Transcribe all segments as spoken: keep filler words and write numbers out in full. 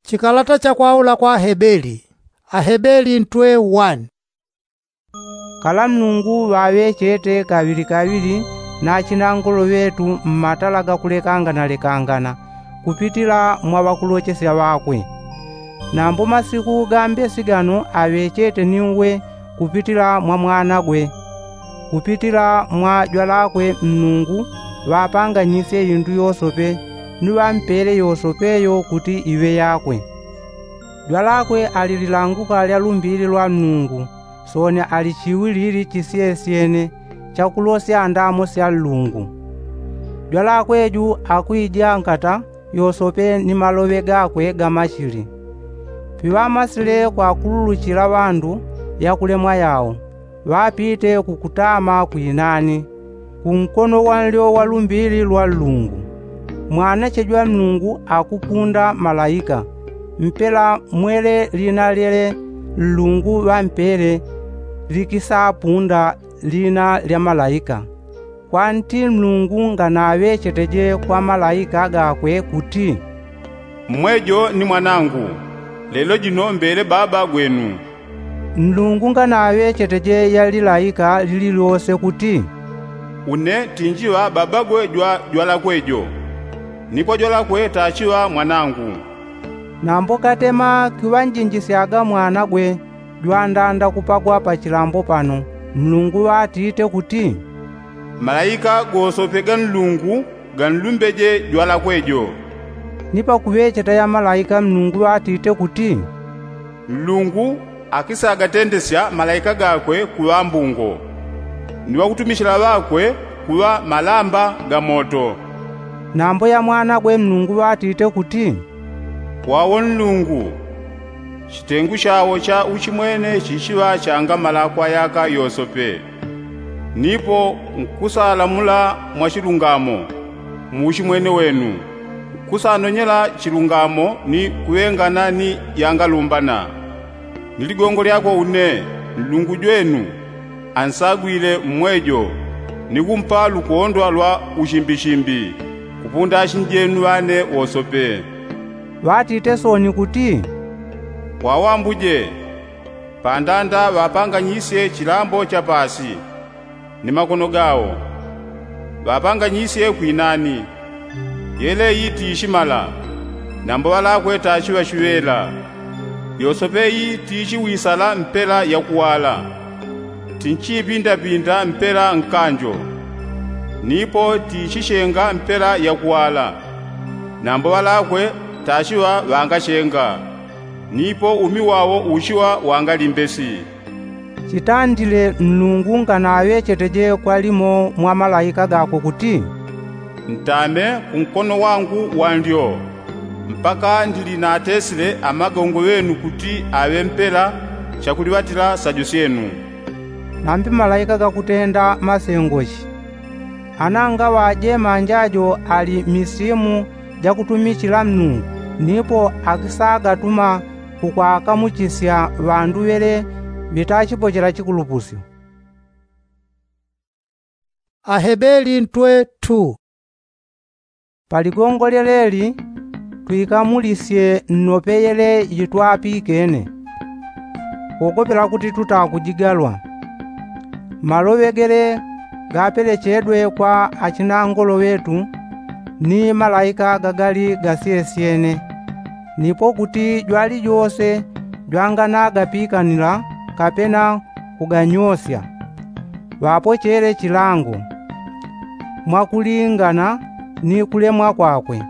Chikalata cha kwaula kwa ahebeli. Ahebeli ntwe wani. Kala mlungu ŵaŵechete kaŵili kaŵili na achinangolo ŵetu mmatala gakulekangana lekangana kupitila mwa ŵakulochesya ŵakwe. Nambo masiku ga mbesi gano aŵechete ni uwe kupitila mwa mwanagwe. Kupitila mwa jwalakwe mlungu ŵapanganyisye indu yosope ni ŵampele yosope yo kuti iŵe yakwe. Jwalakwe ali lilanguka lya lumbili lwa mlungu. Sooni ali chiwilili chisyesyene chakulosya ndamo sya nlungu. Jwalakwe ju akwija nkata yosope ni maloŵe gakwe ga machili. Piŵamasile kwakululuchila ŵandu yakulemwa yao ŵapite kukutama kwinani kunkono wanlyo wa lumbili lwa nlungu. Mwanache jwa mlungu akupunda malaika mpela mwele lina lyele nlungu ŵampele likisapunda lina lya malaika. Kwanti mlungu nganaŵecheteje kwa malaika gakwe kuti, mmwejo ni mwanangu, lelo jino mbele baba gwenu. Mlungu nganaŵecheteje ya lilaika lililyose kuti, une tinjiŵa babagwe jwa jwalakwe jo, ni kwa jwalakwe tachiŵa mwanangu. Nambo katema kiŵanjinjisyaga mwanagwe jwandanda kupagwa pa chilambo pano, mlungu ŵatite kuti, malaika gosope ga nlungu ganlumbeje jwalakwe jo. Ni pakuŵecheta ya malaika mlungu ŵatite kuti, mlungu akisagatendesya malaika gakwe kuŵa mbungo, ni ŵakutumichila ŵakwe kuŵa malamba ga moto. Nambo ya mwanagwe mlungu ŵatite kuti, wawo nlungu, chitengu chawo cha uchimwene chichiŵa changa malakwa yaka yosope. Nipo nkusalamula mwa chilungamo mu uchimwene wenu, nkusanonyela chilungamo ni kuŵengana ni yangalumbana. Ni ligongo lyakwe une nlungu jwenu ansagwile mmwejo ni kumpa lukondwa lwa uchimbichimbi kupunda achinjenu ŵane wosope. Ŵatite sooni kuti, wawambuje, pandanda ŵapanganyisye chilambo cha paasi ni makono gawo, ŵapanganyisye kwinani. Yele iyi tiichimala, nambo ŵalakwe tachiŵa chiŵela. Yosope iyi tiichiwisala mpela yakuwala, tinchiipindapinda mpela nkanjo, nipo tiichichenga mpela yakuwala, nambo ŵalakwe tachiŵa ŵangachenga, nipo umi wawo uchiŵa wangalimbesi. Chitandile nlungu nganaŵecheteje kwa limo mwa malaika gakwe kuti, ntame kunkono wangu wanlyo, mpaka ndili natesile amagongo ŵenu kuti aŵe mpela chakuliŵatila sajo syenu. Nambi malaika gakutenda masengoshi. Ana ngaŵajemanja jo ali misimu jakutumichila mlungu, nipo akisagatuma kukwakamuchisya ŵandu ŵele ŵitachipochela chikulupusyo. Ahebeli ntwe tu. Paligongo lyeleli twikamulisye nnope yele yitwapikene, kogopela kuti tutakujigalwa. Maloŵe gele gapelechedwe kwa achinangolo ŵetu ni malaika gagali gasyesyene, nipo kuti jwalijose jwanganagapikanila kapena kuganyosya, ŵapochele chilango mwakulingana ni kulemwa kwakwe.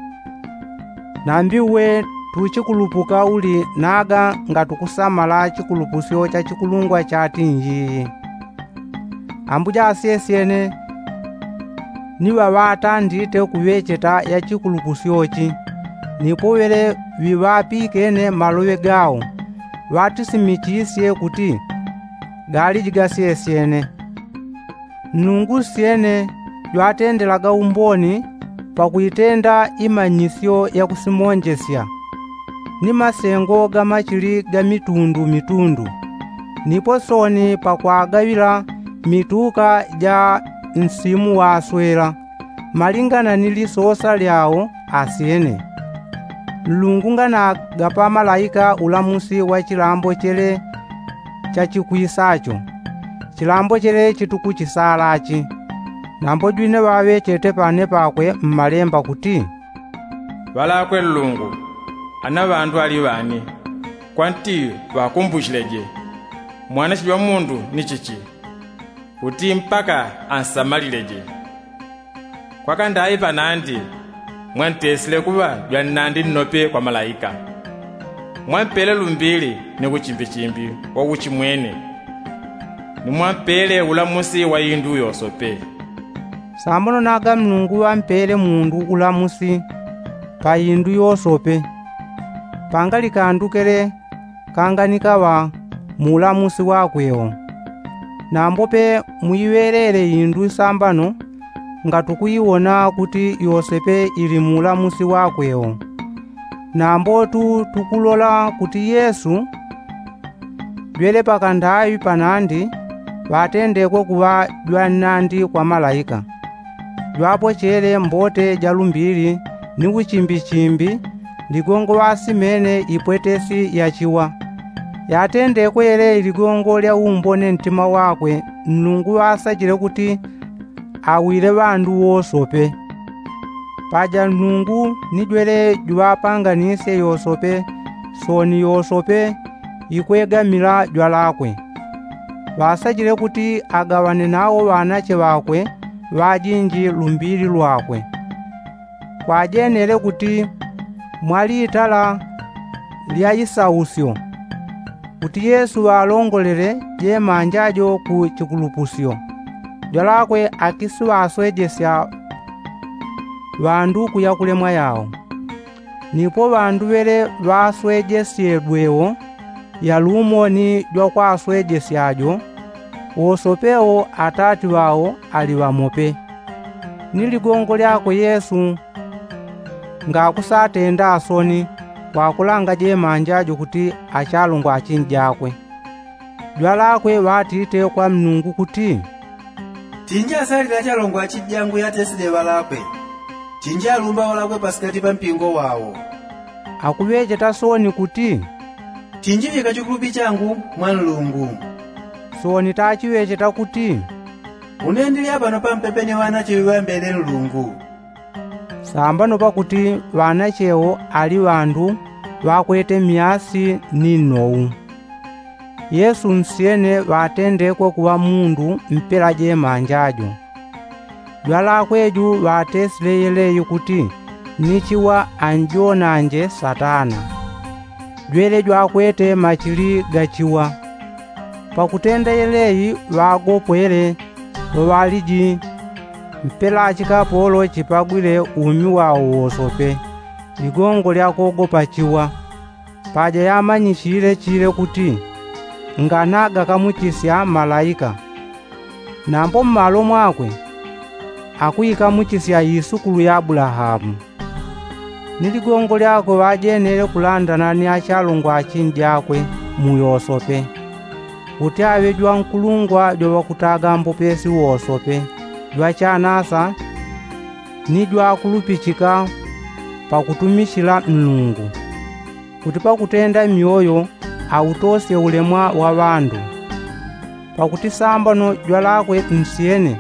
Nambi uwe tuchikulupuka uli naga ngatukusamala chikulupusyo cha chikulungwa chatinji. Ambuja asyesyene ni ŵaŵatandite kuŵecheta ya chikulupusyo chi, nipo ŵele ŵiŵapikene maloŵe gao ŵatisimichisye kuti galiji gasyesyene. Nlungu syene jwatendelaga umboni pakuitenda imanyisyo yakusimonjesya ni masengo ga machili ga mitundu mitundu, nipo sooni pakwagaŵila mituka ja nsimu waswela malingana ni lisosa lyao asyene. Nlungu nganagapa malaika ulamusi wa chilambo chele chachikwisacho, chilambo chele chitukuchisalachi. Nambo jwine ŵaŵechete pane pakwe mmalemba kuti, ŵalakwe nlungu, ana ŵandu ali ŵani, kwanti ŵakumbuchileje. Mwanache jwa mundu ni chichi, kuti mpaka ansamalileje. Kwa kandai panandi mwantesile kuŵa jwannandi nnope kwa malaika. Mwampele lumbili ni uchimbichimbi wa uchimwene, ni mwampele ulamusi wa indu yosope. Sambono naga mlungu ŵampele mundu ulamusi pa indu yosope, pangalikandukele kanganikaŵa mu ulamusi wakwe wo. Nambo pe muiŵelele indu sambano, ngatukuiwona kuti yosepe ili mu ulamusi wakwe wo. Nambo tu tukulola kuti yesu jwele pakandai panandi ŵatendekwe kuŵa jwannandi kwa malaika. Jwapochele mbote ja lumbili ni uchimbichimbi ligongo ŵasimene ipwetesi ya chiwa. Yatendekwe yele iligongo lya umbone ntima wakwe, nlungu ŵasachile kuti awile ŵandu wosope. Paja nlungu ni jwele juŵapanganisye yosope, sooni yosope ikwegamila jwalakwe. Ŵasachile kuti agaŵane nawo ŵanache ŵakwe ŵajinji lumbili lwakwe. Kwajenele kuti mwalitala lya isausyo kuti yesu ŵalongolele jemanja jo ku chikulupusyo, jwalakwe akisiŵaswejesya ŵandu kuya kulemwa yao. Nipo ŵandu ŵele ŵaswejesyedwe wo, yalumo ni jwakwaswejesya jo, wosope wo atati ŵao ali ŵamope. Ni ligongo lyakwe yesu ngakusatenda asoni kwakulanga jemanja jo kuti achalongwa achinjakwe. Jwalakwe ŵatite kwa mlungu kuti, tinjasalile achalongwa achinjangu yatesile ŵalakwe, tinjalumba ŵalakwe pasikati pa mpingo wao. Akuŵecheta sooni kuti, tinjiŵika chikulupi changu mwa nlungu. Sooni tachiŵecheta kuti, une ndili apano pampepe ni ŵanache ŵiŵambele nlungu. Sambano pakuti ŵanache wo ali ŵandu ŵakwete myasi ni nnou. Yesu nsyene ŵatendekwe kuŵa mundu mpela jemanja jo. Jwalakwe ju ŵatesile yeleyi kuti ni chiwa anjonanje satana. Jwele jwakwete machili ga chiwa. Pakutenda yeleyi ŵagopwele ŵaŵaliji mpela chikapolo chipagwile umi wao wosope, ligongo lya kogopa chiwa. Paja yamanyichile chile kuti nganagakamuchisya malaika, nambo mmalo mwakwe akuikamuchisya isukulu ya abulahamu. Ni ligongo lyakwe ŵajenele kulandana ni achalongwa achinjakwe mu yosope, kuti aŵe jwankulungwa jwa ŵakutaga mbopesi wosope, jwachanasa ni jwakulupichika pakutumichila nlungu, kuti pakutenda myoyo autosye ulemwa wa ŵandu. Pakuti sambano jwalakwe nsyene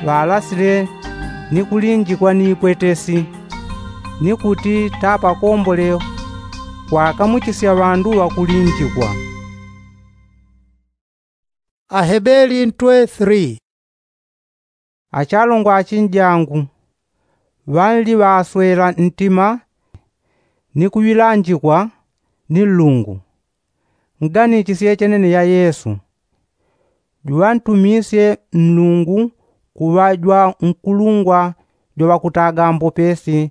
ŵalasile ni kulinjikwa ni ipwetesi, ni kuti tapakombole kwakamuchisya ŵandu ŵakulinjikwa. Ahebeli ntwe three. Achalongwa achinjangu, ŵanli ŵaswela ntima ni kuŵilanjikwa ni nlungu. Nganitchisye chenene ya yesu. Juŵantumisye nlungu kuŵa jwankulungwa jwa ŵakutaga mbopesi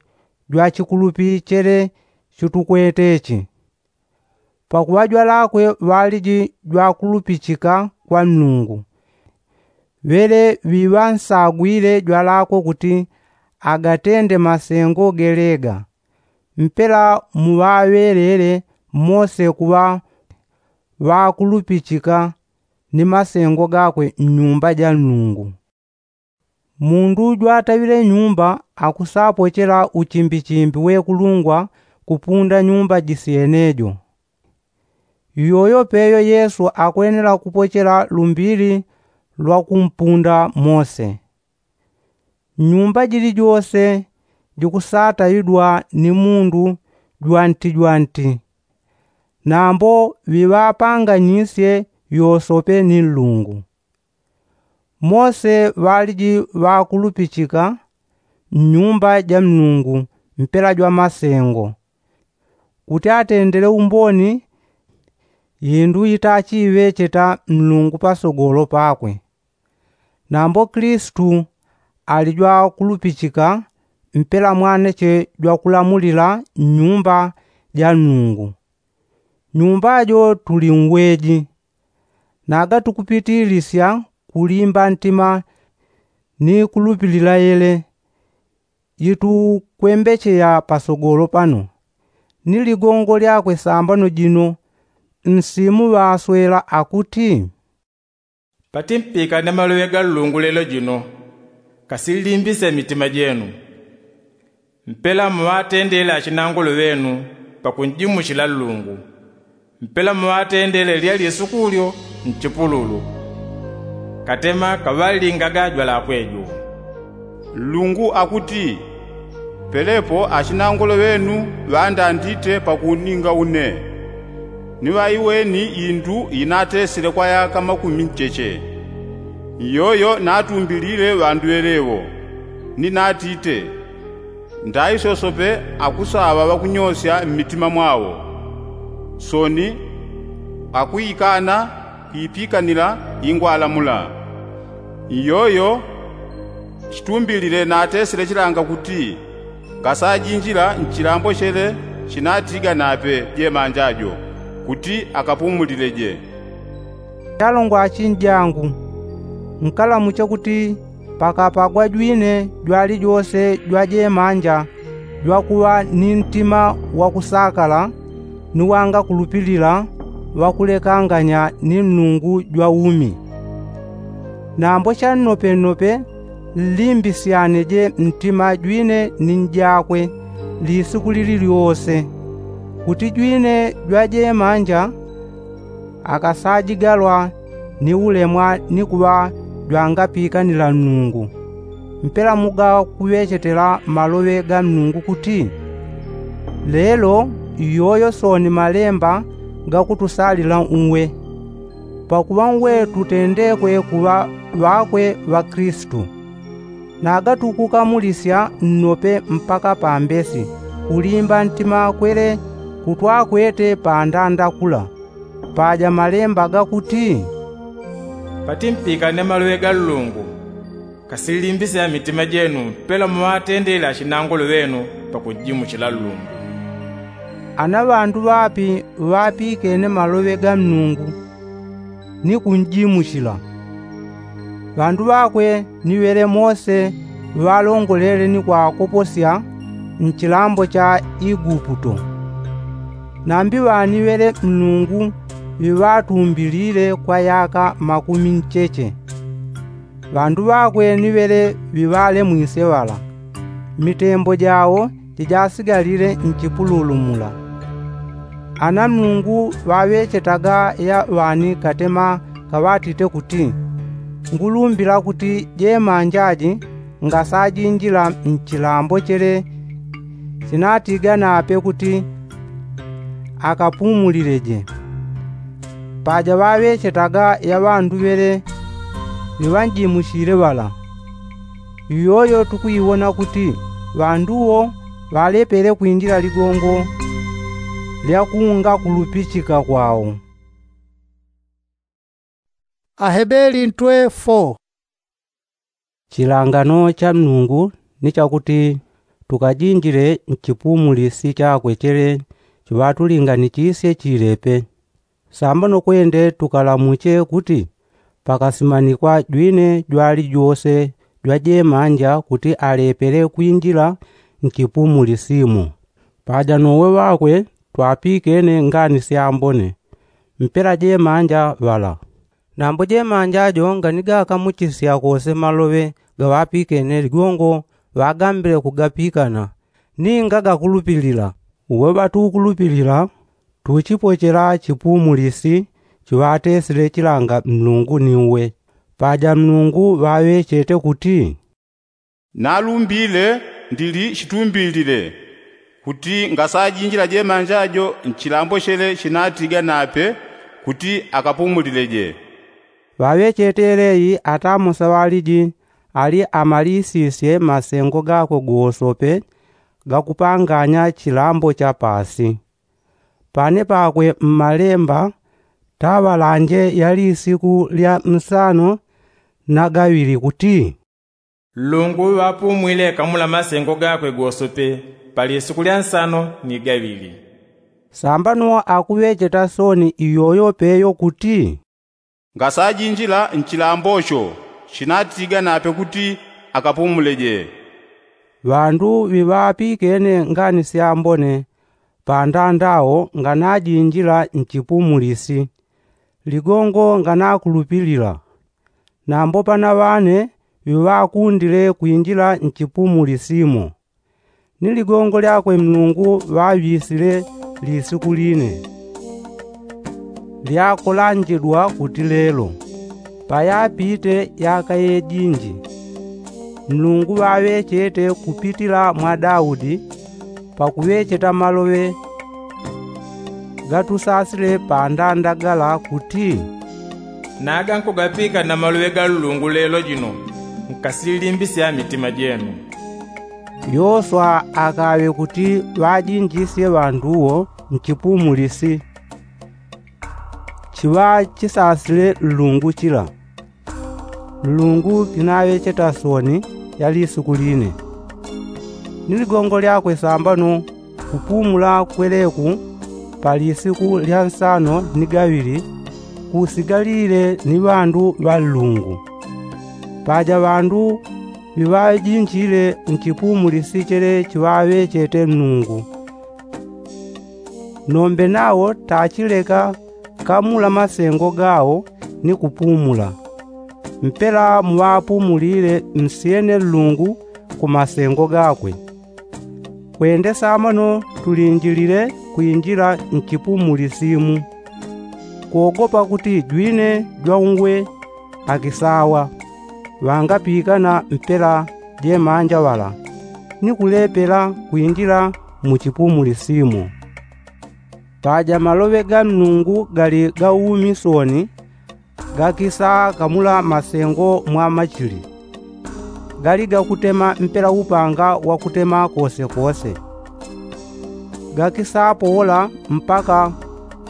jwa chikulupi chele chutukwete chi. Pakuŵa jwalakwe ŵaliji jwakulupichika kwa nlungu, ŵele ŵiŵansagwile jwalakwe kuti agatende masengo gelega. Mpela muŵaŵelele mose kuŵa ŵakulupichika ni masengo gakwe nnyumba ja nlungu. Mundu jwataŵile nyumba akusapochela uchimbichimbi wekulungwa kupunda nyumba jisyenejo. Iyoyo peyo yesu akwenela kupochela lumbili lwa kumpunda mose. Nyumba jilijose jikusataidwa ni mundu jwanti jwanti. Nambo ŵiŵapanganyisye yosope ni nlungu. Mose ŵaliji ŵakulupichika nnyumba ja nnungu mpela jwa masengo kuti atendele umboni yindu yitachiŵecheta nlungu pasogolo pakwe. Nambo kilisitu ali jwakulupichika mpela mwanache jwakulamulila nnyumba ja nnungu. Nyumba jo tuli ngweji naga tukupitilisya kulimba ntima ni kulupilila yele. Yitukwembecheya pasogolo pano ni ligongo lyakwe sambano jino nsimu ŵaswela akuti, patimpikane maloŵe ga nlungu lelo jino kasillimbise mitima jenu. Mpela muŵatendele achinangolo ŵenu pakunjimuchila nlungu. Mpela muŵatendele lya lisukulyo nchipululu katema kaŵallingaga jwalakwe jo. Nlungu akuti, pelepo achinangolo ŵenu ŵandandite pakuninga une. Ni ŵaiweni indu inatesile kwa yaka makumi ncheche. Iyoyo natumbilile ŵandu ŵelewo ni natite, ndaisosope akusaŵa ŵakunyosya mmitima mwawo. Soni akuikana kuipikanila ingwalamula. Iyoyo chitumbilile natesile chilanga kuti ngasajinjila nchilambo chele chinatiga nape jemanja jo kuti akapumulileje. Chalongwa achinjangu, nkalamuche kuti pakapagwa jwine jwalijose jwajemanja jwakuŵa ni ntima wakusakala ni wangakulupilila ŵakulekanganya ni nlungu jwa umi. Nambo channopennope nlimbisyaneje ntima jwine ni njakwe lisiku lililyose kuti jwine jwajemanja akasajigalwa ni ulemwa ni kuŵa jwangapikanila nlungu. Mpela mugakuŵechetela maloŵe ga nlungu kuti, lelo iyoyo soni malemba gakutusalila uwe pakuŵa uwe tutendekwe kuŵa ŵakwe ŵa kilisitu. Nagatukukamulisya nnope mpaka pambesi kulimba ntima kwele kutwakwete pandanda kula. Paja malemba gakuti, patimpikane maloŵe ga nlungu kasillimbise mitima jenu mpela muŵatendele achinangolo ŵenu pakunjimuchila nlungu. Ana ŵandu ŵapi ŵapikene maloŵe ga nlungu ni kunjimuchila? Ŵandu ŵakwe ni ŵele mose ŵalongolele ni kwakoposya nchilambo cha iguputo. Nambi ŵaniŵele nlungu ŵiŵatumbilile kwa yaka makumi ncheche. Ŵandu ŵakwe ni ŵele ŵiŵalemwisye ŵala mitembo jawo jijasigalile nchipululu mula. Ana nlungu ŵaŵechetaga ya ŵani katema kaŵatite kuti, ngulumbila kuti jemanja ji ngasajinjila nchilambo chele chinatiga nape kuti akapumulileje. Paja ŵaŵechetaga ya ŵandu ŵele ŵiŵanjimuchile ŵala. Iyoyo tukwiwona kuti ŵandu wo ŵalepele kwinjila ligongo lya kungakulupichika kwao. Ahebeli ntwe fo. Chilangano cha nlungu ni chakuti tukajinjile nchipumulisi chakwe chele chiŵatulinganichisye chilepe. Samba no kwende tukalamuche kuti pakasimanikwa jwine jwalijose jwajemanja kuti alepele kwinjila nchipumulisi mo. Paja nowe ŵakwe twapikene ngani syambone mpela jemanja ŵala. Nambo jemanja jo nganigakamuchisya kose maloŵe gaŵapikene ligongo ŵagambile kugapikana ninga gakulupilila. Uwe ŵatukulupilila tuchipochela chipumulisi chiŵatesile chilanga mlungu ni uwe. Paja mlungu ŵaŵechete kuti, nalumbile ndili chitumbilile kuti ngasajinjila jemanja jo nchilambo chele chinatiga nape kuti akapumulile je. Ŵaŵechete yeleyi atamosa ŵaliji ali amalisisye masengo gakwe gosope gakupanganya chilambo cha pasi. Pane pakwe mmalemba taŵalanje yali siku lya nsano na gaŵili kuti, nlungu ŵapumwile kamula masengo gakwe gosope pali siku lya nsano ni gaŵili. Sambano akuŵecheta soni iyoyo peyo kuti, ngasajinjila nchilambo cho chinatiga nape kuti akapumule je. Ŵandu ŵiŵapikene ngani syambone pandandao nganajinjila nchipumulisi ligongo nganakulupilila. Nambo pana ŵane ŵiŵakundile kwinjila nchipumulisimo ni ligongo lyakwe mlungu ŵaŵisile lisiku line lyakolanjidwa kuti lelo. Payapite yaka yejinji mlungu ŵaŵechete kupitila mwa daudi pakuŵecheta maloŵe gatusasile pandanda gala kuti, naga nkugapika na maloŵe ga nlungu lelo jino nkasilimbisya mitima jenu. Yoswa akaŵe kuti ŵajinjisye ŵandu wo nchipumulisi chiŵa chisasile nlungu chila. Nlungu kinaŵecheta soni ya lisuku line ni ligongo lyakwe sambano kupumula kweleku pa lisiku lya nsano ni gaŵili kusigalile ni ŵandu ŵa nlungu. Paja ŵandu ŵiŵajinjile nchipumulisi chele chiŵaŵechete nlungu nombe nawo tachileka kamula masengo gawo ni kupumula. Mpela muŵapumulile nsyene nlungu ku masengo gakwe. Kwende samano tulinjilile kwinjila nchipumulisimu kogopa kuti jwine jwaungwe akisawa ŵangapikana mpela jemanja ŵala ni kulepela kwinjila mu chipumulisimo. Paja maloŵe ga nlungu gali ga umi soni gakisa kamula masengo mwa machili gali gakutema mpela upanga wakutema kosekose. Gakisa powola mpaka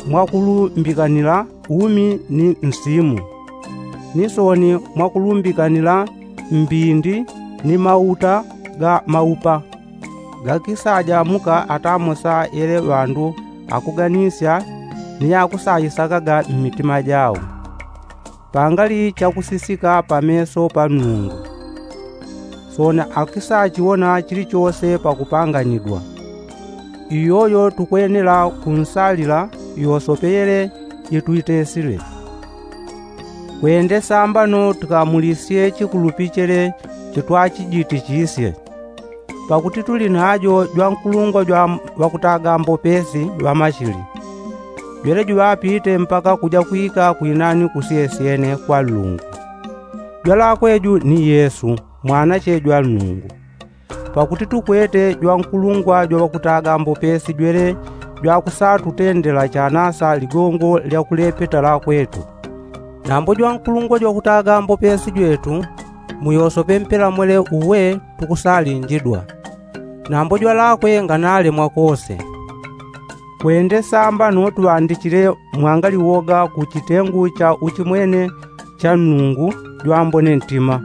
mwakulumbikanila umi ni nsimu ni soni mwakulumbikanila mbindi ni mauta ga maupa. Gakisajamuka atamosa yele ŵandu akuganisya ni yakusayisakaga mmitima jawo pangali chakusisika pameso pa nlungu. Soni akisachiwona chilichose pakupanganidwa. Iyoyo tukwenela kunsalila yosope yele yetwitesile. Kwende sambano tukamulisye chikulupi chele chitwachijitichisye. Pakuti tuli najo jwankulungwa jwa ŵakutaga mbopesi ŵa machili jwele juŵapite mpaka kuja kwika kwinani kusyesyene kwa nlungu. Jwalakwe ju ni yesu mwanache jwa nlungu. Pakuti tukwete jwankulungwa jwa ŵakutaga mbopesi jwele jwakusatutendela chanasa ligongo lya kulepeta lakwetu. Nambo jwankulungwa jwa kutaga mbopesi jwetu muyosope mpela mwele uwe tukusalinjidwa. Nambo jwalakwe nganalemwa kose. Kwende sambano tuŵandichile mwangali woga ku chitengu cha uchimwene cha nlungu jwambone ntima.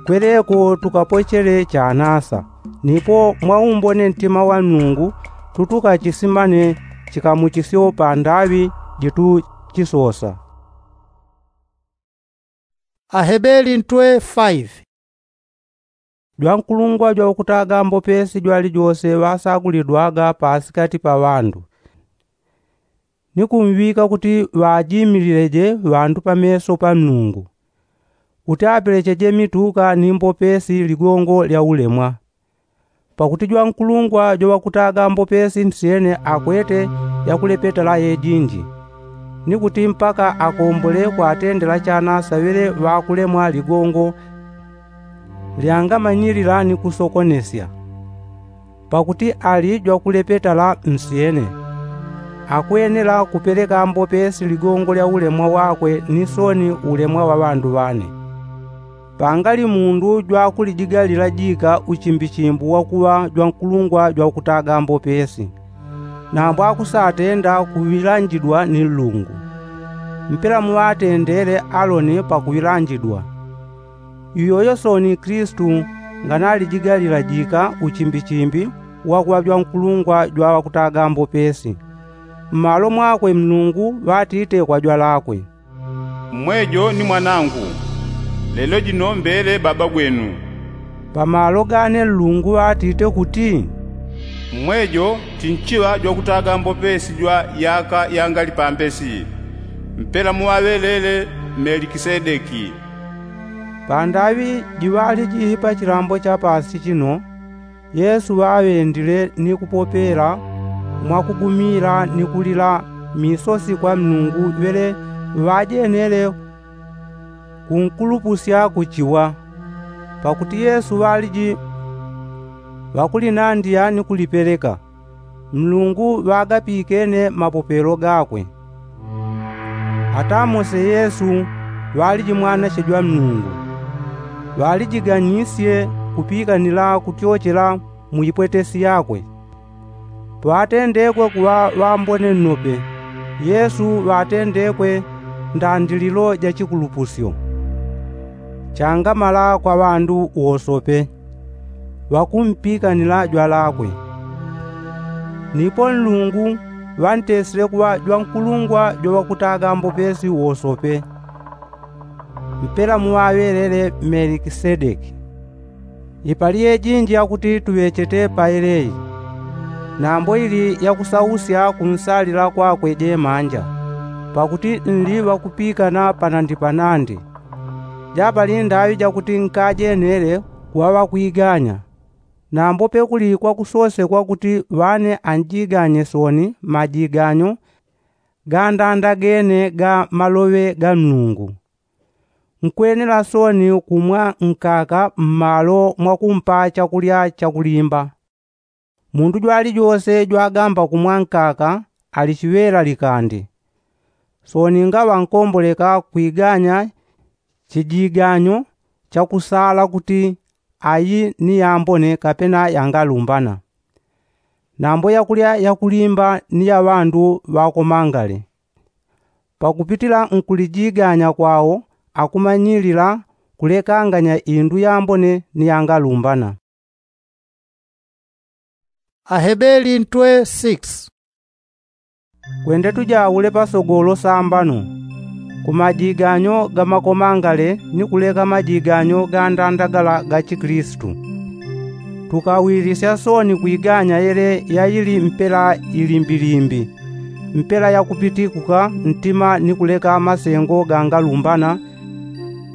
Kweleko tukapochele chanasa nipo mwaumbone ntima wa nlungu tutukachisimane chikamuchisyo pa ndaŵi jituchisosa. Ahebeli ntwe faive. Jwankulungwa jwa ukutaga mbopesi jwalijose ŵasagulidwaga pasikati pa ŵandu ni kumŵika kuti ŵajimilileje ŵandu pameso pa nlungu kuti apelecheje mituka ni mbopesi ligongo lya ulemwa. Pakuti jwankulungwa jowakutaga mbopesi nsyene akwete yakulepetala yejinji, ni kuti mpaka akombole kwatendela chana saŵele ŵakulemwa ligongo lyangamanyilila ni kusokonesya. Pakuti ali jwakulepetala nsyene, akwenela kupeleka mbopesi ligongo lya ulemwa wakwe ni soni ulemwa wa ŵandu ŵane. Pangali mundu jwakulijigalila jika uchimbichimbu wakuŵa jwankulungwa jwakutaga mbopesi, nambo akusatenda kuŵilanjidwa ni nlungu. Mpela muŵatendele aloni pakuŵilanjidwa. Iyoyo soni kristu nganalijigalila jika uchimbichimbi wakuŵa jwankulungwa jwawakutaga mbopesi. Mmalo mwakwe mlungu ŵatite kwa jwalakwe, mmwejo ni mwanangu, lelo jino mbele baba gwenu. Pamalo gane nlungu ŵatite kuti, mmwejo tinchiŵa jwakutaga mbopesi jwa yaka yangali pambesi, mpela muŵaŵelele melikisedeki. Pandaŵi jiŵaliji pa chilambo cha pasi chino, yesu ŵaŵendile ni kupopela mwakugumila ni kulila misosi kwa mlungu ŵele ŵajenele kunkulupusya kuchiwa. Pakuti yesu ŵaliji ŵakulinandiya ni kulipeleka, mlungu ŵagapikene mapopelo gakwe. Ata mose yesu ŵaliji mwanache jwa mlungu, ŵalijiganisye kupikanila kutyochela mu ipwetesi yakwe. Pwatendekwe kuŵa ŵambone nnope, yesu ŵatendekwe ndandililo ja chikulupusyo changamala kwa ŵandu wosope ŵakumpikanila jwalakwe. Nipo nlungu ŵantesile kuŵa jwankulungwa jwaŵakutaga mbopesi wosope, mpela muŵaŵelele melikisedeki. Ipali yejinji yakuti tuŵechete paeleyi, nambo ili yakusausya kunsalila kwakwe jemanja, pakuti nli ŵakupikana panandi panandi. Japali ndaŵi jakuti nkajenele kuŵa ŵakwiganya, nambo pekuli kwakusosekwa kuti ŵane anjiganye soni majiganyo gandandagene ga maloŵe ga mlungu. Nkwenela soni kumwa nkaka mmalo mwakumpa chakulya chakulimba. Mundu jwalijose jwagamba kumwa nkaka ali chiŵela likandi. Soni ngaŵa nkomboleka kwiganya chijiganyo chakusala kuti ayi ni yambone kapena yangalumbana, nambo yakulya yakulimba ni ya ŵandu ŵakomangale. Pakupitila nkulijiganya kwao akumanyilila kulekanganya indu yambone ni yangalumbana. Ahebeli ntwe six. Kwende tujaule pasogolo sambano kumajiganyo ga makomangale ni kuleka majiganyo gandandagala ga chikilisitu. Tukawilisya soni kwiganya yele yaili mpela ilimbilimbi, mpela yakupitikuka ntima ni kuleka masengo gangalumbana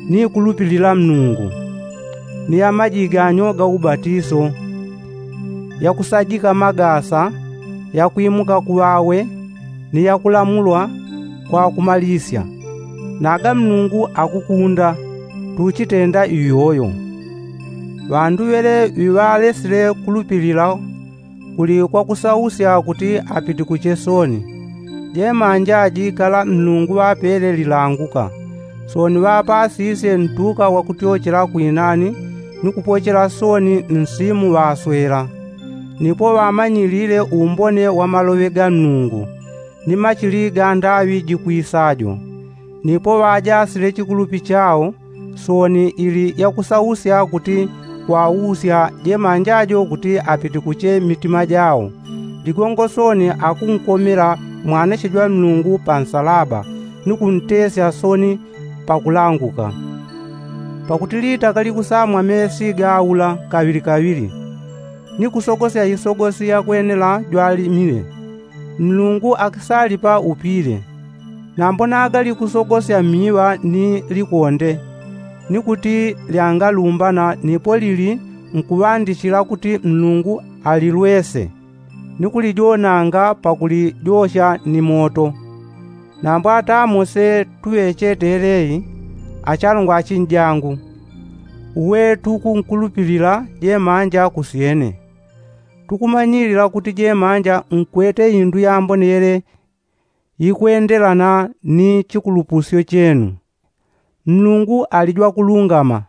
ni kulupilila mlungu, ni ya majiganyo ga ubatiso, yakusajika magasa, yakwimuka kuŵawe, ni yakulamulwa kwa kumalisya. Naga mlungu akukunda tuchitenda iyoyo. Ŵandu ŵele ŵiŵalesile kulupilila kuli kwakusausya kuti apitikuche soni. Jemanja jikala mlungu ŵapele lilanguka, soni ŵapasisye ntuka wakutyochela kwinani ni kupochela soni nsimu ŵaswela. Nipo ŵamanyilile umbone wa maloŵe ga mlungu ni machili ga ndaŵi jikwisajo. Nipo ŵajasile chikulupi chao soni ili yakusausya kuti kwausya jemanja jo kuti apitikuche mitima jao. Ligongo soni akunkomela mwanache jwa mlungu pa nsalaba ni kuntesya soni pakulanguka. Pakuti litaka likusamwa mesi gaula kaŵili kaŵili ni kusogosya isogosi yakwenela jwalimile. Mlungu akisalipa upile. Nambo naga likusogosya miŵa ni likonde ni kuti lyangalumbana nipo lili nkuŵandichila kuti mlungu alilwese ni kulijonanga pakulijosha ni moto. Nambo atamo se tuŵechete yeleyi, achalungwa achinjangu, uwe tukunkulupilila jemanja kusyene. Tukumanyilila kuti jemanja nkwete indu yambone yele yikwendelana ni chikulupusyo chenu. Mlungu ali jwakulungama.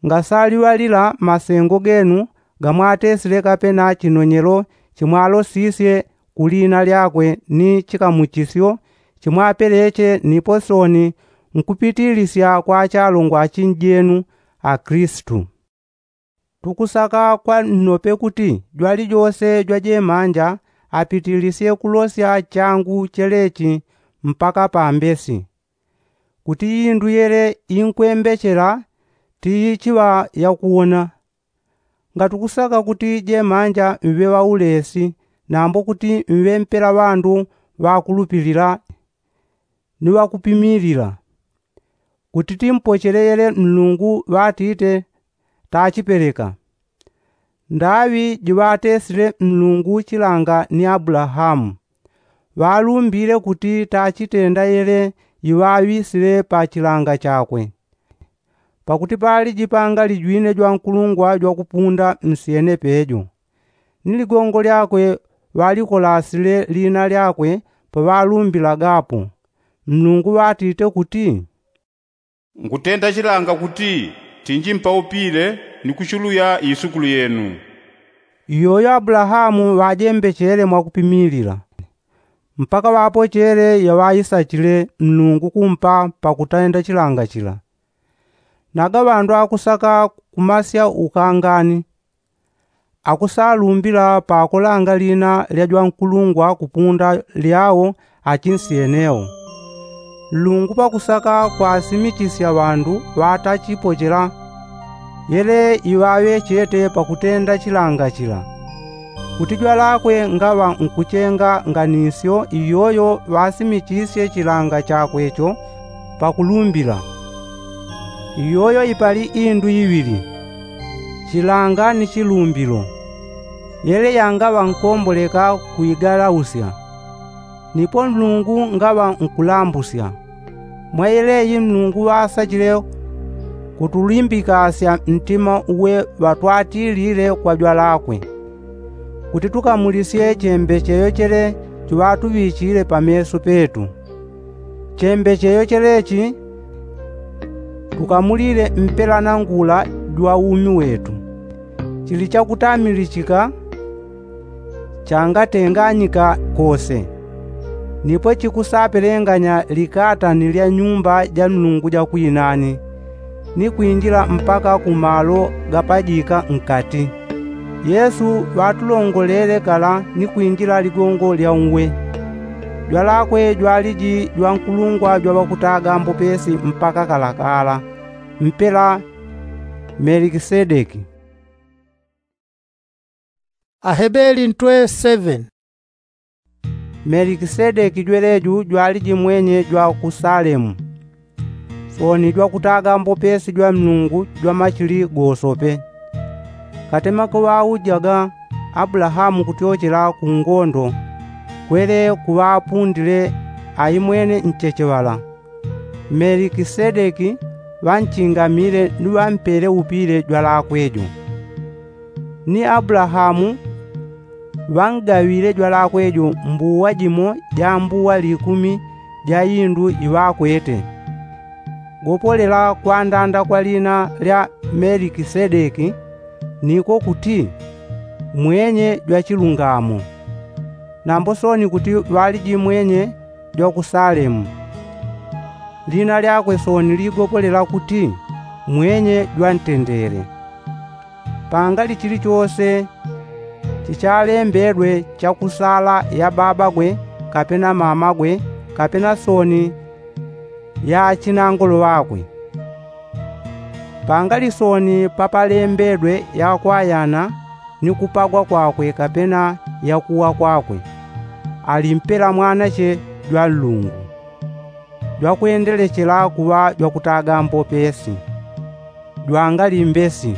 Ngasaliŵalila masengo genu gamwatesile kapena chinonyelo chimwalosisye ku lina lyakwe ni chikamuchisyo chimwapeleche nipo soni nkupitilisya kwa achalongwa achinjenu a kristu. Tukusaka kwa nnope kuti jwalijose jwajemanja apitilisye kulosya changu chelechi mpaka pambesi kuti indu yele inkwembechela tiichiŵa yakuwona. Ngatukusaka kuti jemanja mŵe ŵaulesi nambo kuti mŵe mpela ŵandu ŵakulupilila ni ŵakupimilila kuti timpochele yele mlungu ŵatite tachipeleka. Ndaŵi jiŵatesile mlungu chilanga ni abulahamu ŵalumbile kuti tachitenda yele iŵaŵisile pa chilanga chakwe. Pakuti pali jipanga lijwine jwankulungwa jwakupunda msyene pejo ni ligongo lyakwe ŵalikolasile lina lyakwe paŵalumbilagapo. Mlungu ŵatite kuti, nkutenda chilanga kuti tinji mpaupile ni kuchuluya isukulu yenu. Iyoyo abulahamu ŵajembechele mwakupimilila mpaka ŵapochele yaŵaisachile mlungu kumpa pakutenda chilanga chila. Naga ŵandu akusaka kumasya ukangani akusalumbila pakulanga lina lya jwankulungwa kupunda lyao achinsyene wo. Nlungu pakusaka kwasimichisya ŵandu ŵatachipochela yele iŵaŵechete pakutenda chilanga chila kuti jwalakwe ngaŵa nkuchenga nganisyo iyoyo ŵasimichisye chilanga chakwe cho pakulumbila. Iyoyo ipali indu iŵili, chilanga ni chilumbilo. Yele yangaŵa nkomboleka kuigalausya nipo nlungu ngaŵa nkulambusya. Mwa yeleyi nlungu ŵasachile kutulimbikasya ntima uwe ŵatwatilile kwa jwalakwe kuti tukamulisye chembecheyo chele chiŵatuŵichile pameso petu. Chembecheyo chelechi tukamulile mpela na ngula jwa umi wetu. Chili chakutamilichika changatenganyika kose nipo chikusapelenganya likatani lya nyumba ja nlungu ja kwinani ni kwinjila mpaka ku malo gapajika nkati. Yesu ŵatulongolele kala ni kwinjila ligongo lya uwe. Jwalakwe jwaliji jwankulungwa jwa ŵakutaga mbopesi mpaka kalakala mpela melikisedeki. Ahebeli ntwe seven. Melikisedeki jweleju jwaliji mwenye jwa ku salemu soni jwakutaga mbopesi jwa nlungu jwa machili gosope. Katema kuŵaujaga abulahamu kutyochela ku ngondo kwele kuŵapundile aimwene nchecheŵala. Melikisedeki ŵanchingamile ni ŵampele upile jwalakwe jo. Ni abulahamu ŵangaŵile jwalakwe jo mbuwa jimo ja mbuwa likumi ja indu iŵakwete. Gopolela kwandanda kwa lina lya melikisedeki niko kuti mwenye jwa chilungamo. Nambo soni kuti ŵaliji mwenye jwa ku salemu. Lina lyakwe soni ligopolela kuti mwenye jwa ntendele. Pangali chilichose chichalembedwe chakusala ya babagwe kapena mamagwe kapena soni ya achinangolo ŵakwe. Pangali soni papalembedwe yakwayana ni kupagwa kwakwe kapena yakuwa kwakwe. Ali mpela mwanache jwa nlungu jwakwendelechela kuŵa jwakutaga mbopesi. Jwangalimbesi.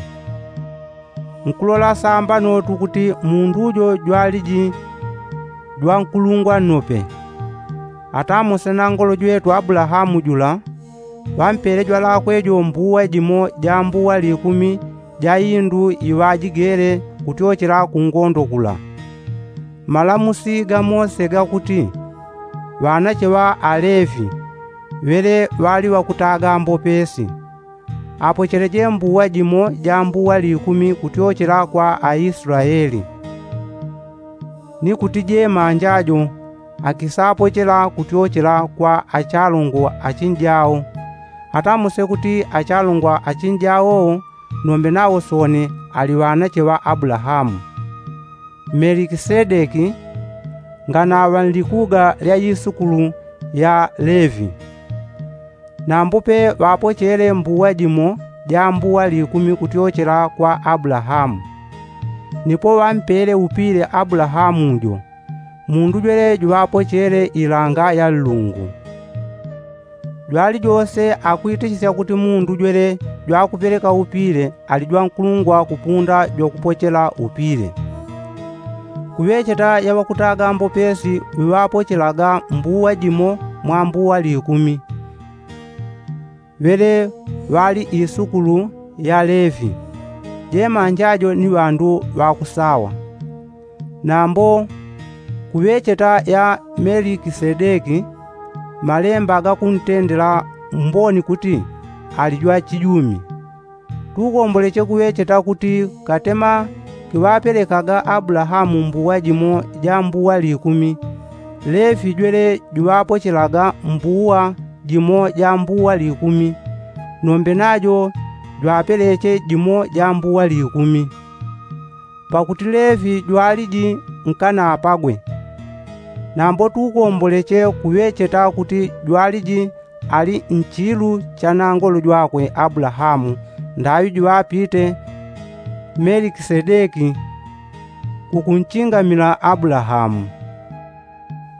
Nkulola sambano tukuti mundu jo jwaliji jwankulungwa nnope. Atamose nangolo jwetu abulahamu jula ŵampele jwalakwe jo mbuwa jimo ja mbuwa likumi ja indu iŵajigele kutyochela kungondo kula. Malamusi ga mose gakuti ŵanache ŵa alevi ŵele ŵali ŵakutaga mbopesi apocheleje mbuwa jimo ja mbuwa likumi kutyochela kwa aislaeli. Ni kuti jemanja jo akisapochela kutyochela kwa achalongo achinjao. Atamuse kuti achalongo achinjao nombe nawo soni ali ŵanache ŵa abulahamu. Melikisedeki nganaŵa nlikuga lya isukulu ya levi. Nambupe ŵapochele mbuwa jimo ja mbuwa likumi kutyochela kwa abulahamu. Nipo ŵampele upile abulahamu jo mundu jwele juŵapochele ilanga ya nlungu. Jwali jose akwitichisya kuti mundu jwele jwakupeleka upile ali jwankulungwa kupunda jwakupochela upile. Kuŵecheta ya ŵakutaga mbopesi ŵiŵapochelaga mbuwa jimo mwa mbuwa likumi ŵele ŵali isukulu ya levi. Jemanja jo ni ŵandu ŵakusawa. Nambo kuŵecheta ya melikisedeki malemba gakuntendela mboni kuti ali jwachijumi. Tukomboleche kuŵecheta kuti katema kiŵapelekaga abulahamu mbuwa jimo ja mbuwa likumi. Levi jwele juŵapochelaga mbuwa jimo ja mbuwa likumi nombe najo jwapeleche jimo ja mbuwa likumi. Pakuti levi jwaliji nkanapagwe. Nambo tukomboleche kuŵecheta kuti jwaliji ali nchilu cha nangolo jwakwe abulahamu ndaŵi juŵapite melikisedeki kukunchingamila abulahamu.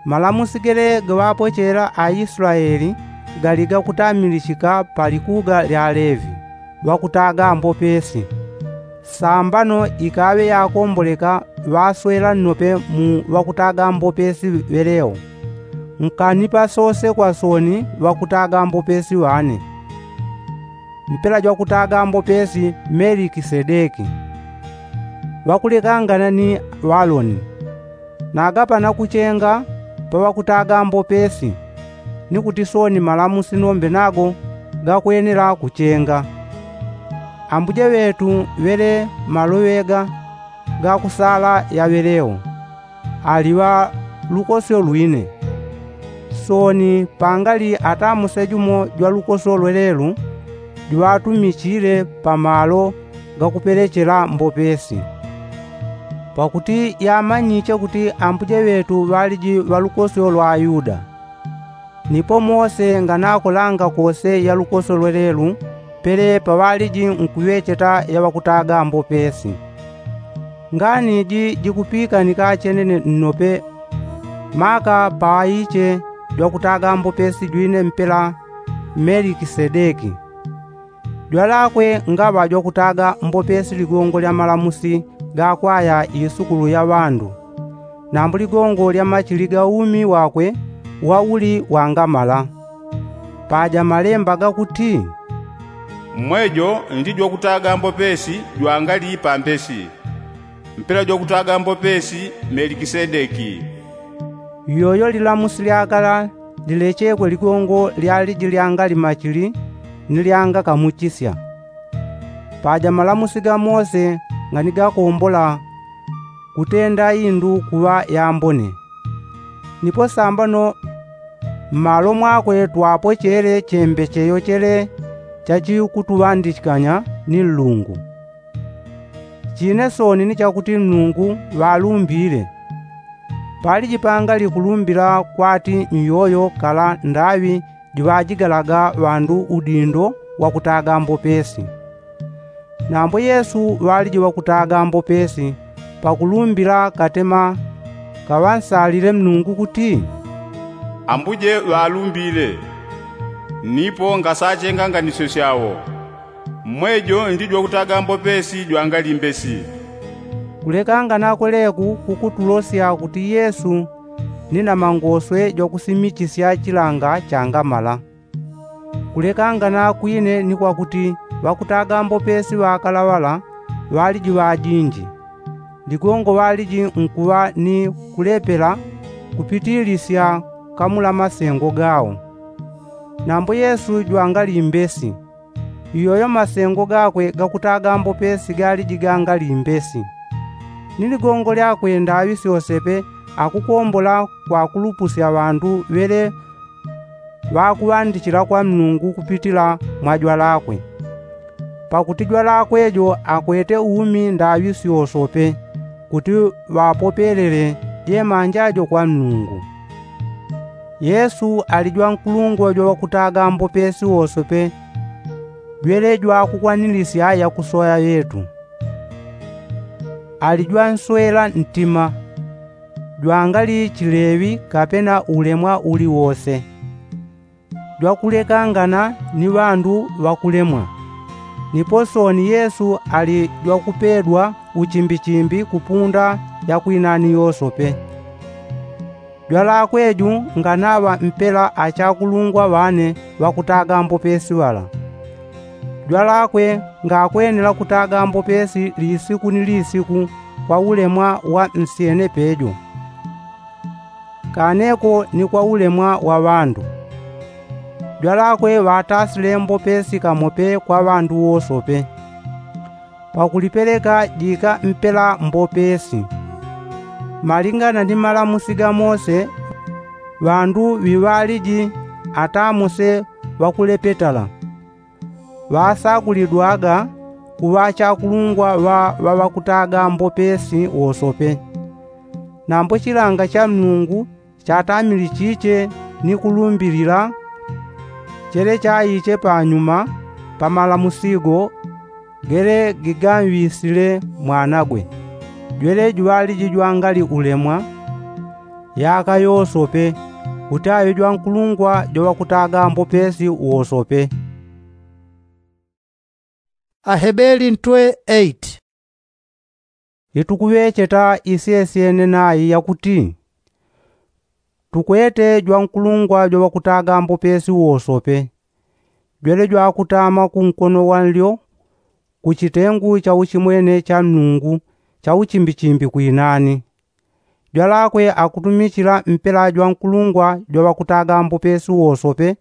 Malamusi gele gaŵapochela aislaeli gali gakutamilichika pa likuga lya levi ŵakutaga mbopesi. Sambano ikaŵe yakomboleka ŵaswela nnope mu ŵakutaga mbopesi ŵeleo. Nkanipa sose kwa soni ŵakutaga mbopesi ŵane mpela jwakutaga mbopesi melikisedeki ŵakulekangana ni ŵaloni. Nagapana kuchenga pa ŵakutaga mbopesi ni kuti soni malamusi nombe nago gakwenela kuchenga. Ambuje ŵetu ŵele maloŵega gakusala yaŵeleo aliŵa lukosyo lwine. Soni pangali atamuse jumo jwa lukosyo lwelelu juŵatumichile pa malo gakupelechela mbopesi. Pakuti yamanyiche kuti ambuje ŵetu ŵaliji ŵa lukosyo lwa ayuda. Nipo mose nganakolanga kose ya lukosyo lwelelu pele paŵaliji nkuŵecheta ya ŵakutaga mbopesi. Ngani ji jikupikanika chenene nnope maka paŵaiche jwakutaga mbopesi jwine mpela melikisedeki. Jwalakwe ngaŵa jwakutaga mbopesi ligongo lya malamusi gakwaya isukulu ya ŵandu. Nambo ligongo lya machili ga umi wakwe wauli wangamala. Paja malemba gakuti mmwejo ndi jwakutaga mbopesi jwangali pambesi mpela jwakutaga mbopesi melikisedeki. Iyoyo lilamusi lyakala lilechekwe ligongo lyaliji lyangali machili ni lyangakamuchisya. Paja malamusi ga mose ngani gakombola kutenda indu kuŵa yambone. Nipo sambano mmalo mwakwe twapochele chembecheyo chele chachikutuŵandichikanya ni nlungu. Chine soni ni chakuti nlungu ŵalumbile. Paliji pangali kulumbila kwati nyoyo kala ndaŵi jiŵajigalaga ŵandu udindo wakutaga mbopesi. Nambo yesu ŵaliji ŵakutaga mbopesi pakulumbila katema kaŵansalile mlungu kuti ambuje ŵalumbile. Nipo ngasachenga nganisyo syawo. Mmwejo ndi jwakutaga mbopesi jwangali mbesi. Kulekangana kweleku kukutulosya kuti yesu ni na mangoswe jwakusimichisya chilanga changamala. Kulekangana kwine ni kwakuti ŵakutaga mbopesi ŵakalaŵala ŵaliji ŵajinji, ligongo ŵaliji nkuŵa ni kulepela kupitilisya kamula masengo gawo. Nambo yesu jwangali mbesi, iyoyo masengo gakwe gakutaga mbopesi galiji gangali mbesi. Ni ligongo lyakwe ndaŵi syosepe akukombola kwakulupusya ŵandu ŵele ŵakuŵandichila kwa nnungu kupitila mwa jwalakwe. Pakuti jwalakwe jo akwete umi ndaŵi syosope kuti ŵapopelele jemanja jo kwa nnungu. Yesu ali jwankulungwa jwaŵakutaga mbopesi wosope jwele jwakukwanilisya yakusoya ŵetu. Ali jwanswela ntima jwangali chileŵi kapena ulemwa uliwose. Jwakulekangana ni ŵandu ŵakulemwa. Nipo sooni yesu ali jwakupedwa uchimbichimbi kupunda yakwinani yosope. Jwalakwe ju nganaŵa mpela achakulungwa ŵane ŵakutaga mbopesi ŵala. Jwalakwe ngakwenela kutaga mbopesi lisiku ni lisiku kwa ulemwa wa nsyene pejo, kaneko ni kwa ulemwa wa ŵandu. Jwalakwe ŵatasile mbopesi kamope kwa ŵandu wosope. Pakulipeleka jika mpela mbopesi malingana ni malamusi ga mose. Ŵandu ŵiŵaliji ata mose ŵakulepetala ŵasagulidwaga kuŵa chakulungwa ŵa ŵaŵakutaga mbopesi wosope. Nambo chilanga cha nnungu chatamili chiche ni kulumbilila chele chaiche panyuma pa malamusigo gele gigamŵisile mwanagwe jwele juŵaliji jwangali ulemwa yaka yosope kuti aŵe jwankulungwa jwaŵakutaga mbopesi wosope. Ahebeli ntwe eight. Itukuŵecheta isyesyene nayi yakuti tukwete jwankulungwa jwaŵakutaga mbopesi wosope jwele jwakutama kunkono wanlyo kuchitengu cha uchimwene cha nnungu cha uchimbichimbi kwinani. Jwalakwe akutumichila mpela jwankulungwa jwaŵakutaga mbopesi wosope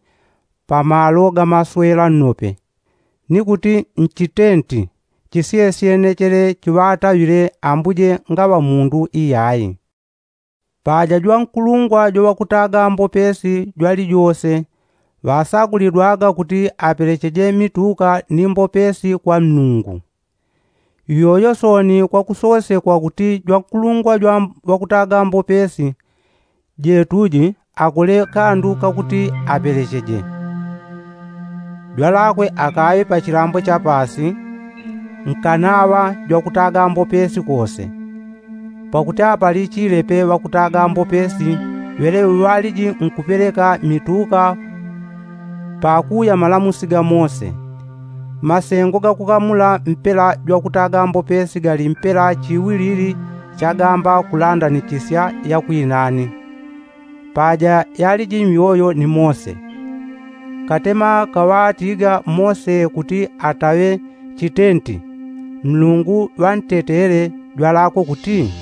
pamalo gamaswela nnope ni kuti nchitenti chisyesyene chele chiŵataŵile ambuje ngaŵa mundu iyayi. Paja jwankulungwa jwaŵakutaga mbopesi jwalijose ŵasagulidwaga kuti apelecheje mituka ni mbopesi kwa nnungu. Iyoyo sooni kwakusosekwa kuti jwankulungwa jwaŵakutaga mbopesi jetuji akole kandu kakuti apelecheje. Jwalakwe akaŵe pachilambo chapasi nkanaŵa jwakutaga mbopesi kose. Pakuti apalichile pe ŵakutaga mbopesi ŵele ŵaliji nkupeleka mituka pakuya malamusi ga mose. Masengo gakukamula mpela jwakutaga mbopesi gali mpela chiwilili chagamba kulandanichisya yakwinani. Paja yaliji myoyo ni mose katema kaŵatiga mose kuti ataŵe chitenti. Mlungu ŵantetele jwalakwe kuti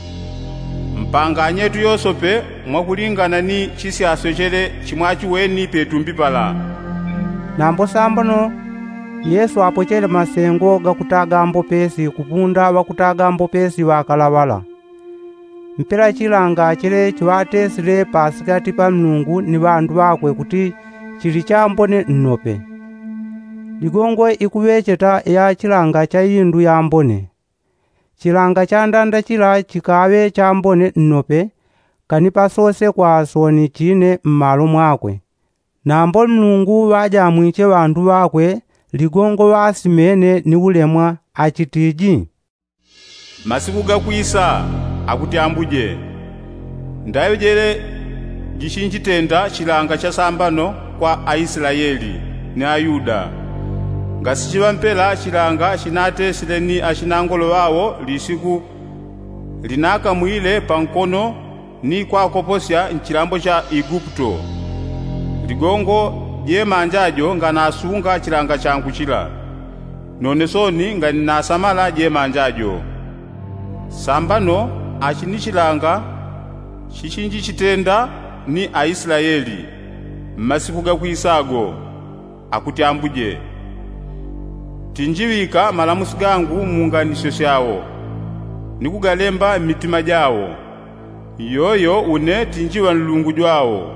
mpanganye yetu yosope mwakulingana ni chisyasyo chele chimwachiweni petumbi pala. Nambo sambano yesu apochele masengo gakutaga mbopesi kupunda ŵakutaga mbopesi ŵakalaŵala. Mpela chilanga chele chiŵatesile pasikati pa nnungu ni ŵandu ŵakwe kuti chili chambone nnope. Ligongo ikuŵecheta ya chilanga cha indu yambone. Chilanga cha ndanda chila chikaŵe chambone nnope kani pasose kwa sooni chine mmalo mwakwe. Nambo nnungu ŵajamwiche ŵandu ŵakwe ligongo ŵasimene ni ulemwa achitiji masiku gakwisa, akuti ambuje, ndaŵejele jichinjitenda chilanga cha sambano kwa aislaeli ni ayuda. Ngasichiŵa mpela chilanga chinatesile ni achinangolo ŵawo lisiku Linakamwile pankono ni kwakoposya nchilambo cha iguputo. Ligongo jemanja jo nganasunga chilanga changu chila, none soni nganinasamala jemanja jo. Sambano achinichilanga chichinjichitenda ni aislaeli mmasiku gakwisago, akuti ambuje. Tinjiŵika malamusi gangu munganisyo syao, ni kugalemba mmitima jao. Iyoyo une tinjiŵa nlungu jwao,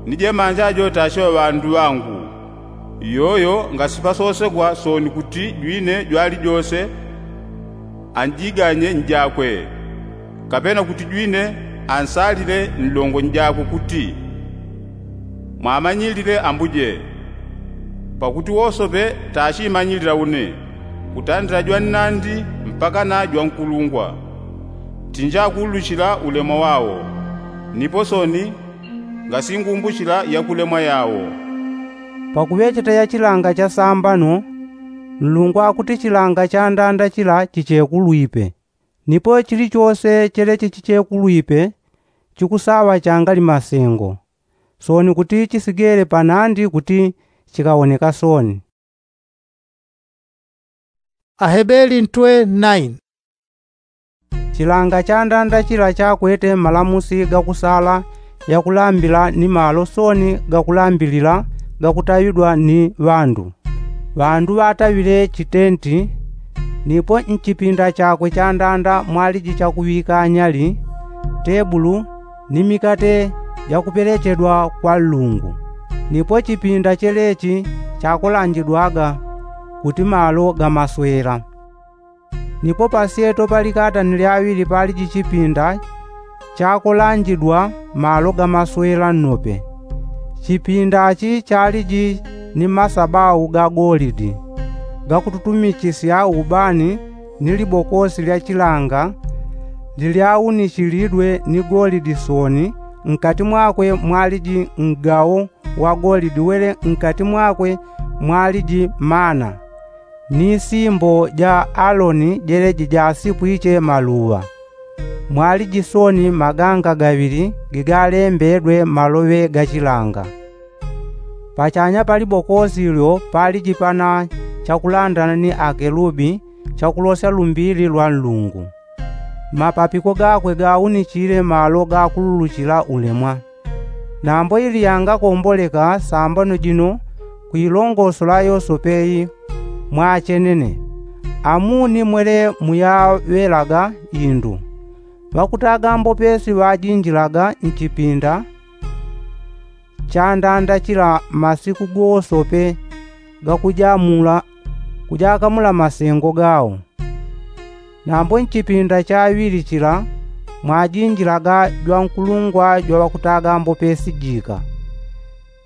ni jemanja jo tachiŵa ŵandu ŵangu. Iyoyo ngasipasosegwa soni kuti jwine jwalijose anjiganye njakwe, kapena kuti jwine ansalile nlongo njakwe kuti, mwamanyilile ambuje. Pakuti wosope tachimanyilila une, kutandila jwa nnandi mpakana jwa nkulungwa, tinjakuuluchila ulemwa wao, nipo soni ngasingumbuchila yakulemwa yao. Pakuŵecheta ya chilanga cha sambano, nlungu akuti chilanga cha ndanda chila chichekulwipe. Nipo chilichose cheleche chichekulwipe chikusaŵa changali masengo, soni kuti chisigele panandi kuti chikawoneka soni. Ahebeli ntwe naini. Chilanga cha ndanda chila chakwete malamusi gakusala yakulambila ni malo soni gakulambilila gakutaŵidwa ni ŵandu. Ŵandu ŵataŵile chitenti, nipo nchipinda chakwe cha ndanda mwaliji chakuŵika nyali, tebulu, ni mikate jakupelechedwa kwa nlungu. Nipo chipinda chelechi chakolanjidwaga kuti malo gamaswela. Nipo pasyeto palikata ni lyaŵili paliji chipinda chakolanjidwa malo gamaswela nnope. Chipinda chi chaliji ni masabau ga golidi gakututumichisya ubani, ni libokosi lya chilanga lilyaunichilidwe ni golidi soni, nkati mwakwe mwaliji ngao wa golidi wele nkati mwakwe mwaliji mana, ni simbo ja aloni jeleji jasipwiche maluŵa. Mwaliji soni maganga gaŵili gigalembedwe maloŵe ga chilanga. Pachanya pa libokosi lyo paliji pana chakulandana ni akelubi chakulosya lumbili lwa nlungu. Mapapiko gakwe gaunichile malo gakululuchila ulemwa. Nambo ili yangakomboleka sambano jino kuilongosola yosope i, mwachenene, amuni mwele muyaŵelaga indu. Ŵakutaga mbopesi ŵajinjilaga nchipinda cha ndanda chila masiku gosope gakujamula kujakamula masengo gao. Nambo nchipinda chaŵili chila mwajinjilaga jwankulungwa jwa ŵakutaga mbopesi jika,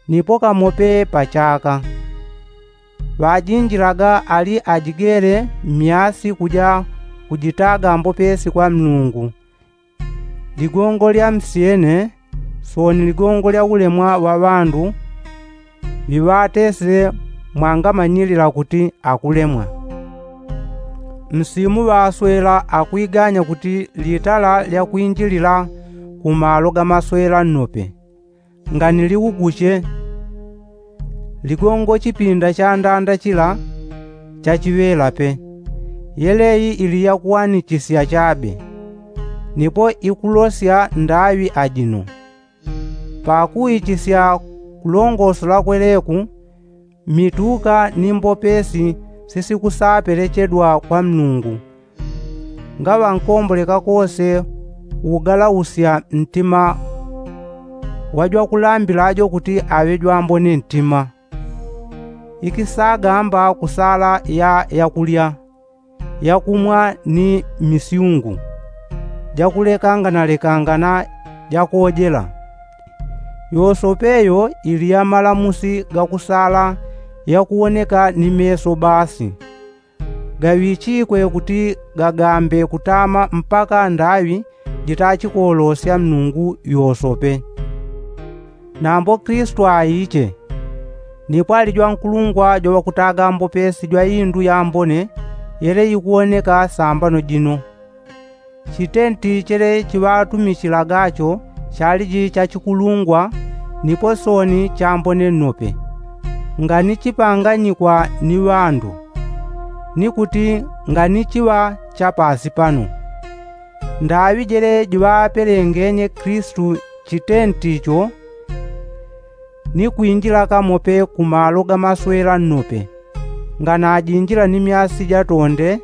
nipo kamope pa chaka. Ŵajinjilaga ali ajigele mmyasi kuja kujitaga mbopesi kwa nlungu. Ligongo lya msyene soni ligongo lya ulemwa wa ŵandu ŵiŵatesile mwangamanyilila kuti akulemwa. Msimu ŵaswela akwiganya kuti litala lya kwinjilila ku malo ga maswela nnope nganiliuguche. Ligongo chipinda cha ndanda chila chachiŵela pe. Yeleyi ili yakuwanichisya chabe, nipo ikulosya ndaŵi ajino. Pakuichisya kulongosola kweleku, mituka ni mbopesi sisikusapelechedwa kwa nlungu. Ngaŵa nkomboleka kose ugalausya ntima wa jwakulambila jo kuti aŵe jwambone ntima. Ikisagamba kusala ya yakulya, yakumwa ni misyungu jakulekanganalekangana jakojela. Yosope yo ili ya malamusi gakusala yakuwoneka ni meso basi. Gaŵichikwe kuti gagambe kutama mpaka ndaŵi jitachikolosya nlungu yosope. Nambo kristu aiche, nipo ali jwankulungwa jwa ŵakutaga mbopesi jwa indu yambone yele ikuwoneka sambano jino. Chitenti chele chiŵatumichilaga cho chaliji cha chikulungwa, nipo sooni chambone nnope, nganichipanganyikwa ni ŵandu, ni kuti nganichiŵa cha paasi pano. Ndaŵi jele jiŵapelengenye kristu chitenti cho, ni kwinjila kamope ku malo ga maswela nnope, nganajinjila ni myasi ja tonde,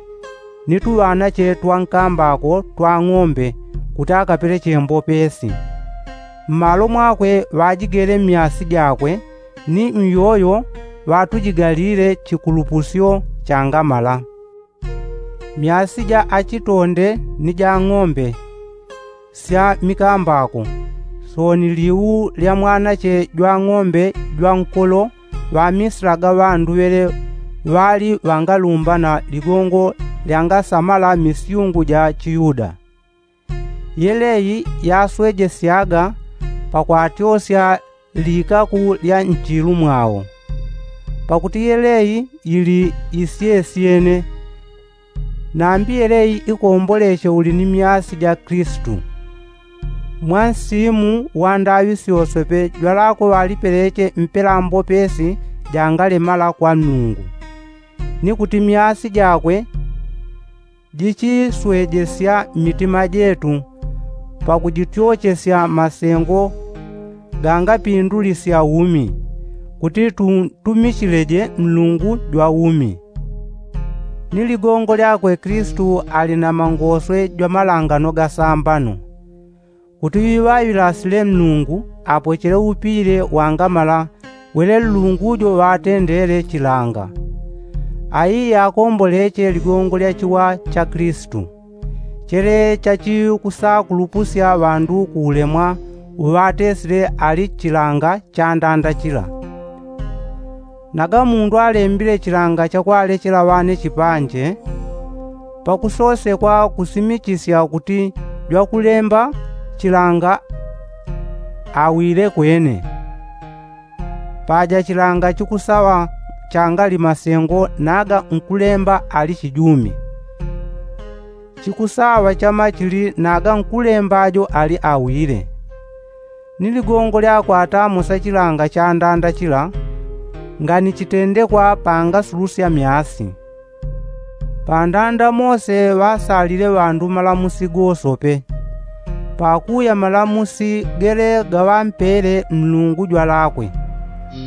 ni tuŵanache twa nkambako twa ng'ombe, kuti akapeleche mbopesi. Mmalo mwakwe ŵajigele myasi jakwe, ni myoyo ŵatujigalile chikulupusyo changamala. Myasi ja achitonde ni ja ng'ombe sya mikambako, sooni liu lya mwanache jwa ng'ombe jwa nkolo ŵamisilaga ŵandu ŵele ŵali ŵangalumbana ligongo lyangasamala misyungu ja chiyuda. Yeleyi yaswejesyaga pakwatyosya likaku lya nchilu mwao, pakuti yeleyi yili isyesyene. Nambi yeleyi ikomboleche uli ni myasi ja kristu. Mwa nsimu wa ndaŵi syosope jwalakwe ŵalipeleche mpela mbopesi jangalemala kwa nnungu, ni kuti myasi jakwe jichiswejesya mmitima jetu, pakujityochesya masengo gangapindulisya umi, kuti tuntumichileje nlungu jwa umi. Ni ligongo lyakwe kristu ali na mangoswe jwa malangano gasambano, kuti ŵiŵaŵilasile nnungu apochele upile wangamala wele nlungu jo ŵatendele chilanga. Aiye akomboleche ligongo lya chiwa cha kristu, chele chachikusakulupusya ŵandu ku ulemwa uŵatesile ali chilanga cha ndanda chila. Naga mundu alembile chilanga chakwalechela ŵane chipanje, pakusosekwa kusimichisya kuti jwakulemba chilanga awile kwene. Paja chilanga chikusaŵa changali masengo naga nkulemba ali chijumi, chikusaŵa chamachili naga nkulemba jo ali awile. Ni ligongo lyakwata mosa chilanga cha ndanda chila, ngani chitendekwa pangasulusya myasi. Pandanda mose ŵasalile ŵandu malamusi gosope, pakuya malamusi gele gaŵampele nlungu jwalakwe.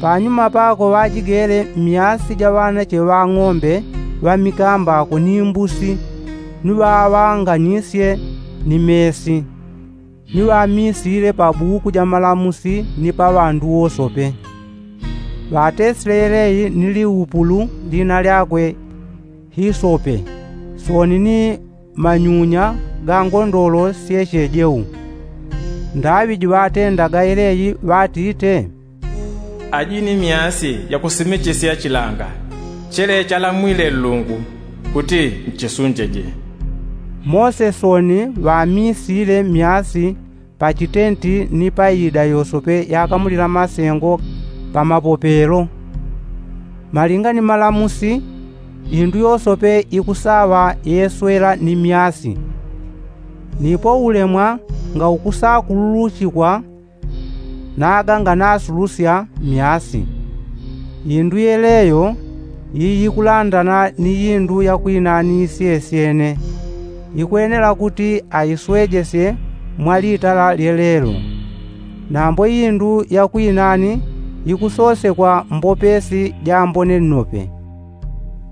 Panyuma pako ŵajigele myasi ja ŵanache ŵa ng'ombe ŵa mikambako ni mbusi, ni ŵaŵanganisye ni mesi, ni ŵamisile pa buku ja malamusi ni pa ŵandu wosope. Ŵatesile yeleyi ni liupulu lina lyakwe hisope, sooni ni manyunya ga ngondolo syechejeu. Ndaŵi jiŵatendaga yeleyi ŵatite, aji ni myasi yakusimichisya chilanga chele chalamwile nlungu kuti nchisunjeje. Mose sooni ŵamisile myasi pa chitenti ni pa iida yosope yakamulila masengo pa mapopelo. Malinga ni malamusi, indu yosope ikusaŵa yeswela ni myasi. Nipo ulemwa ngaukusakululuchikwa naga nganasulusya myasi. Indu yeleyo yiyikulandana ni indu yakwinani isyesyene, ikwenela kuti aiswejesye mwa litala lyelelo. Nambo indu yakwinani ikusosekwa mbopesi jambone nnope.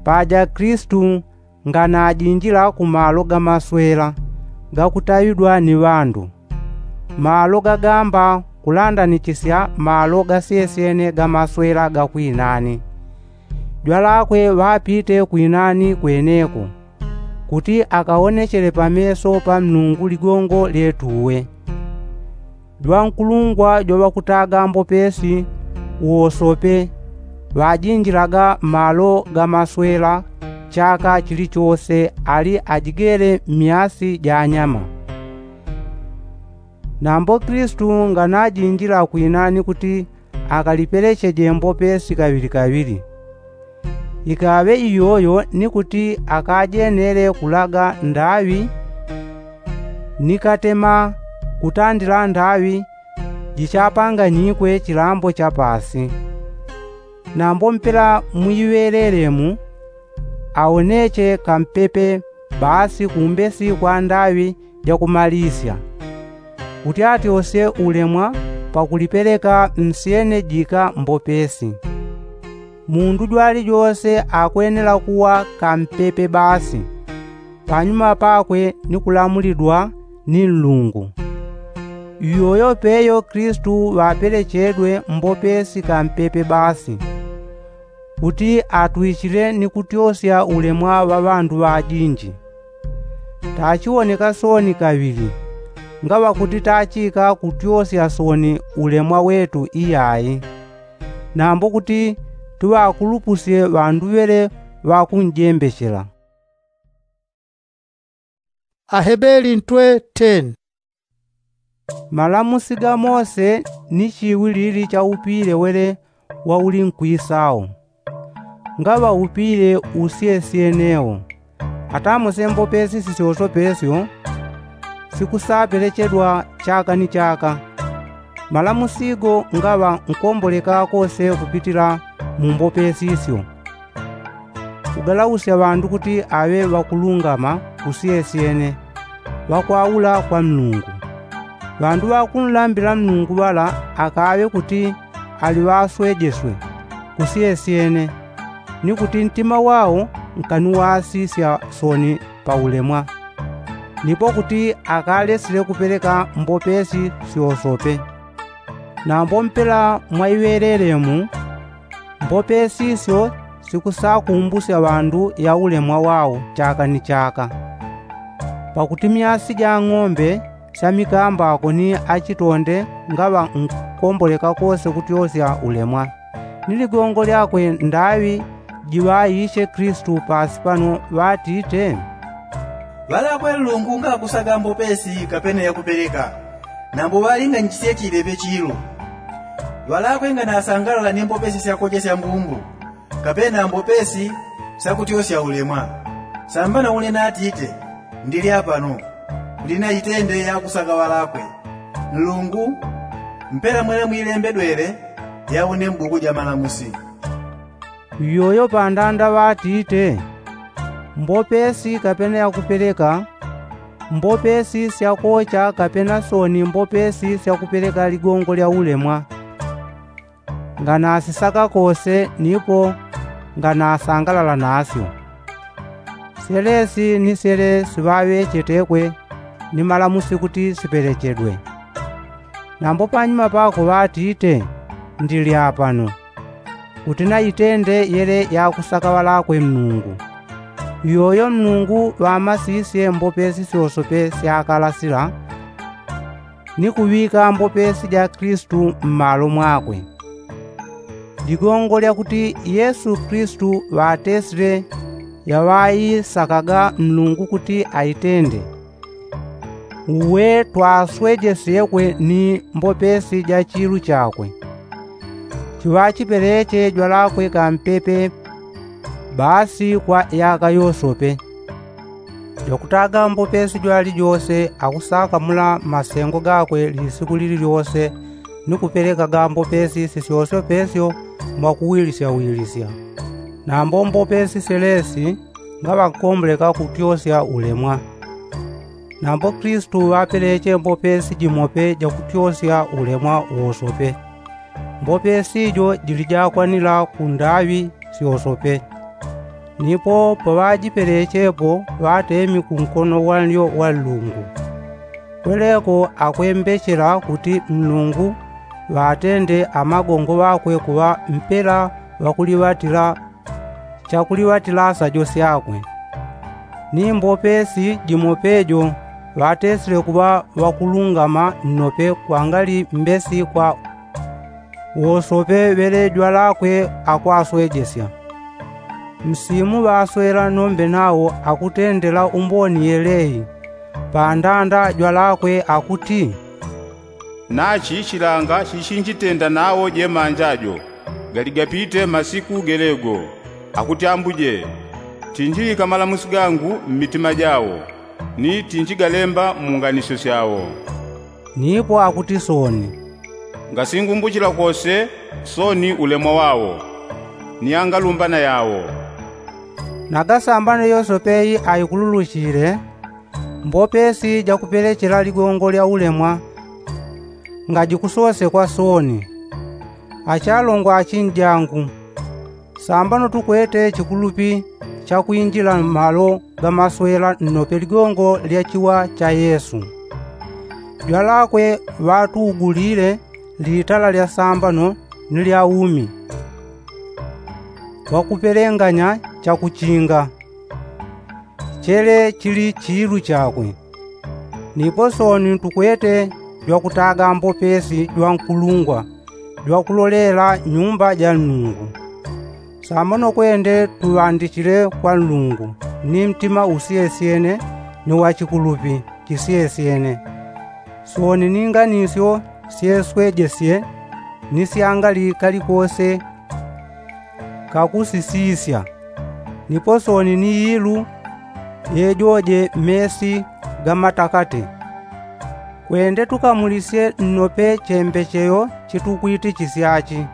Paja kristu nganajinjila ku malo ga maswela gakutaŵidwa ni ŵandu, malo gagamba kulandanichisya malo gasyesyene ga maswela ga kwinani. Jwalakwe ŵapite kwinani kweneko, kuti akaonechele pa meso pa nlungu ligongo lyetuwe. Jwankulungwa jwaŵakutaga mbopesi wosope ŵajinjilaga malo ga maswela chaka chilichose ali ajigele myasi ja nyama. Nambo kristu nganajinjila kwinani kuti akalipelecheje mbopesi kaŵilikaŵili. Ikaŵe iyoyo ni kuti akajenele kulaga ndaŵi nikatema kutandila ndaŵi jichapanganyikwe chilambo cha paasi. Nambo mpela mwiŵelelemu awoneche kampepe baasi kumbesi kwa ndaŵi jakumalisya kuti atyosye ulemwa pakulipeleka nsyene jika mbopesi. Mundu jwalijose akwenela kuŵa kampepe baasi panyuma pakwe ni kulamulidwa ni nlungu. Iyoyo peyo kristu ŵapelechedwe mbopesi kampepe baasi kuti atwichile ni kutyosya ulemwa ŵa ŵandu ŵajinji. Tachiwoneka sooni kaŵili ngaŵa kuti tachika kutyosya sooni ulemwa wetu iyayi, nambo kuti tuŵakulupusye ŵandu ŵele ŵakunjembechela. Ahebeli ntwe ten. Malamusi ga mose ni chiwilili cha upile wele wa uli nkwisao. Ngaŵa upile usyesyeneo atamose mbopesi sisyosopesyo sikusapelechedwa chaka ni chaka. Malamusi go ngaŵa nkomboleka kose kupitila mu mbopesi isyo. Kugalausya ŵandu kuti aŵe ŵakulungama kusyesyene ŵakwaula kwa nlungu. Ŵandu ŵakunlambila nlungu ŵala akaŵe kuti ali ŵaswejeswe kusyesyene ni kuti ntima wao nkaniwasisya sooni pa ulemwa. Nipo kuti akalesile kupeleka mbopesi syosope. Nambo mpela mwaiŵelelemu mbopesi isyo sikusakumbusya ŵandu ya ulemwa wao chaka ni chaka. Pakuti myasi ja ng'ombe sya mikambako ni achitonde ngaŵa nkomboleka kose kutyosya ulemwa. Ni ligongo lyakwe ndaŵi jiŵaishe kristu paasi pano ŵatite, ŵalakwe nlungu ngakusaga mbopesi kapena yakupeleka. Nambo ŵalinga nchisye chilepe chilu. Ŵalakwe nganasangalala ni mbopesi syakochesya mbumbu kapena mbopesi syakutyosya ulemwa. Sambana une natite ndili apano kuti naitende yakusaka ŵalakwe nlungu mpela mwele mwilembedwele ya une mbuku ja malamusi. Iyoyo pandanda ŵatite, mbopesi kapena yakupeleka mbopesi syakocha kapena sooni mbopesi syakupeleka ligongo lya ulemwa. Nganasisaka kose nipo nganasangalala nasyo. Syelesi ni syele siŵaŵechetekwe ni malamusi kuti sipelechedwe. Nambo panyuma pako ŵatite ndili apano kuti naitende yele yakusaka ŵalakwe mlungu. Iyoyo mlungu ŵamasisye mbopesi syosope syakalasila ni kuŵika mbopesi ja kristu mmalo mwakwe. Ligongo lyakuti yesu kristu ŵatesile yaŵaisakaga mlungu kuti aitende. Uwe twaswejesyekwe ni mbopesi ja chilu chakwe. Chiŵachipeleche jwalakwe kampepe baasi kwa yaka yosope. Jwakutaga mbopesi jwalijose akusakamula mmasengo gakwe lisiku lililyose ni kupelekaga mbopesi sisyosopesyo mwakuwilisyawilisya. Nambo mbopesi syelesi ngaŵa nkomboleka kutyosya ulemwa. Nambo kristu ŵapeleche mbopesi jimope jakutyosya ulemwa wosope. Mbopesi jo jilijakwanila kundaŵi syosope. Nipo paŵajipelechepo ŵatemi kunkono wanlyo wa nlungu. Kweleko akwembechela kuti nlungu ŵatende amagongo ŵakwe kuŵa mpela ŵakuliŵatila chakuliŵatilasa jo syakwe. Ni mbopesi jimope jo ŵatesile kuŵa ŵakulungama nnope kwangali mbesi kwa wosope ŵele jwalakwe akwaswejesya. Msimu ŵaswela nombe nawo akutendela umboni yeleyi pandanda jwalakwe akuti, nachi chilanga chichinjitenda nawo jemanja jo galigapite masiku gelego, akuti ambuje, tinjiŵika malamusi gangu mmitima jawo. ni tinjigalemba munganisyo syawo. Nipo akuti sooni, ngasingumbuchila kose sooni ulemwa wawo ni angalumbana yawo. Nagasambano yosepe aikululuchile, mbopesi jakupelechela ligongo lya ulemwa ngajikusosekwa sooni. Achalongo achinjangu, sambano tukwete chikulupi chakwinjila mmalo gamaswela nnope ligongo lya chiwa cha yesu. Jwalakwe ŵatuugulile litala lya sambano ni lya umi, ŵakupelenganya chakuchinga chele chili chiilu chakwe. Nipo sooni tukwete jwakutaga mbopesi jwa nkulungwa jwakulolela nyumba ja nlungu. Sambano kwende tuŵandichile kwa nlungu ni mtima usyesyene ni wachikulupi chisyesyene. Sooni ni nganisyo syeswejesye ni syangali kalikose kakusisisya. Nipo sooni ni yilu yejoje mesi gamatakate. Kwende tukamulisye nnope chembecheyo chitukwiti chisyachi.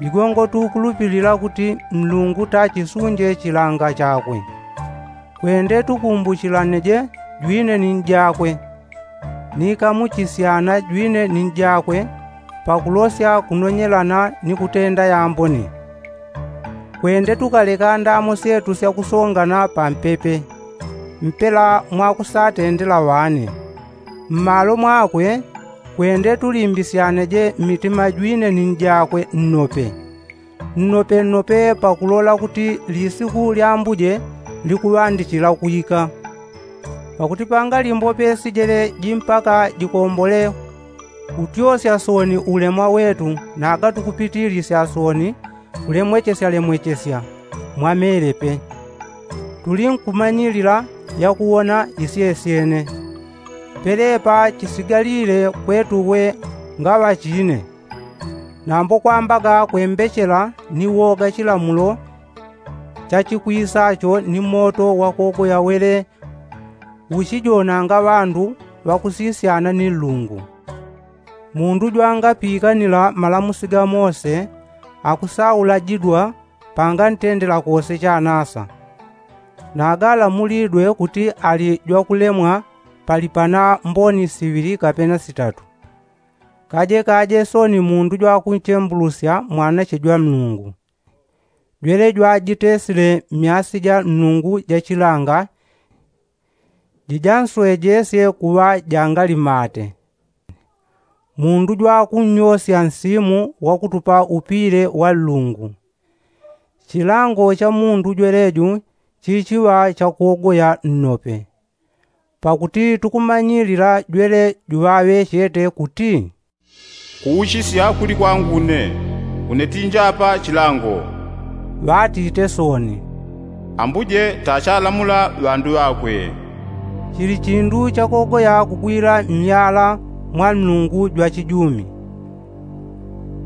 Ligongo tukulupilila kuti nlungu tachisunje chilanga chakwe. Kwende tukumbuchilaneje jwine ni njakwe, ni kamuchisyana jwine ni njakwe pakulosya kunonyelana ni kutenda yambone. Kwende tukaleka ndamo syetu syakusongana pampepe mpela mwakusatendela ŵane. Mmalo mwakwe kwende tulimbisyaneje mmitima jwine ni njakwe nnope nnope nnope pakulola kuti lisiku lya ambuje likuŵandichila kwika. Pakuti pangali mbope sijele jimpaka jikombole kutyosya sooni ulemwa wetu naga tukupitilisya sooni kulemwechesyalemwechesya mwa melepe. Tulinkumanyilila yakuwona isyesyene. Pelepa chisigalile kwetuwe ngaŵa chine. Nambo kwambaga kwembechela ni woga chilamulo chachikwisacho ni moto wakogoya wele uchijonanga ŵandu ŵakusisyana ni nlungu. Mundu jwangapikanila malamusi ga mose akusaulajidwa pangantendela kose chanasa. Nagalamulidwe kuti ali jwakulemwa pali pana mboni siŵili kapena sitatu. Kaje kaje sooni mundu jwakunchembulusya mwanache jwa nlungu. Jwele jwajitesile myasi ja nlungu jachilanga jijanswejesye kuŵa jangali mate. Mundu jwakunnyosya nsimu wakutupa upile wa nlungu. Chilango cha mundu jweleju chichiŵa chakuogoya nnope. Pakuti tukumanyilila jwele juŵaŵechete kuti, kuuchisya kuli kwangu une, une tinjapa chilango. Ŵatite sooni, ambuje tachalamula ŵandu ŵakwe. Chili chindu chakogoya kugwila myala mwa nlungu jwa chijumi.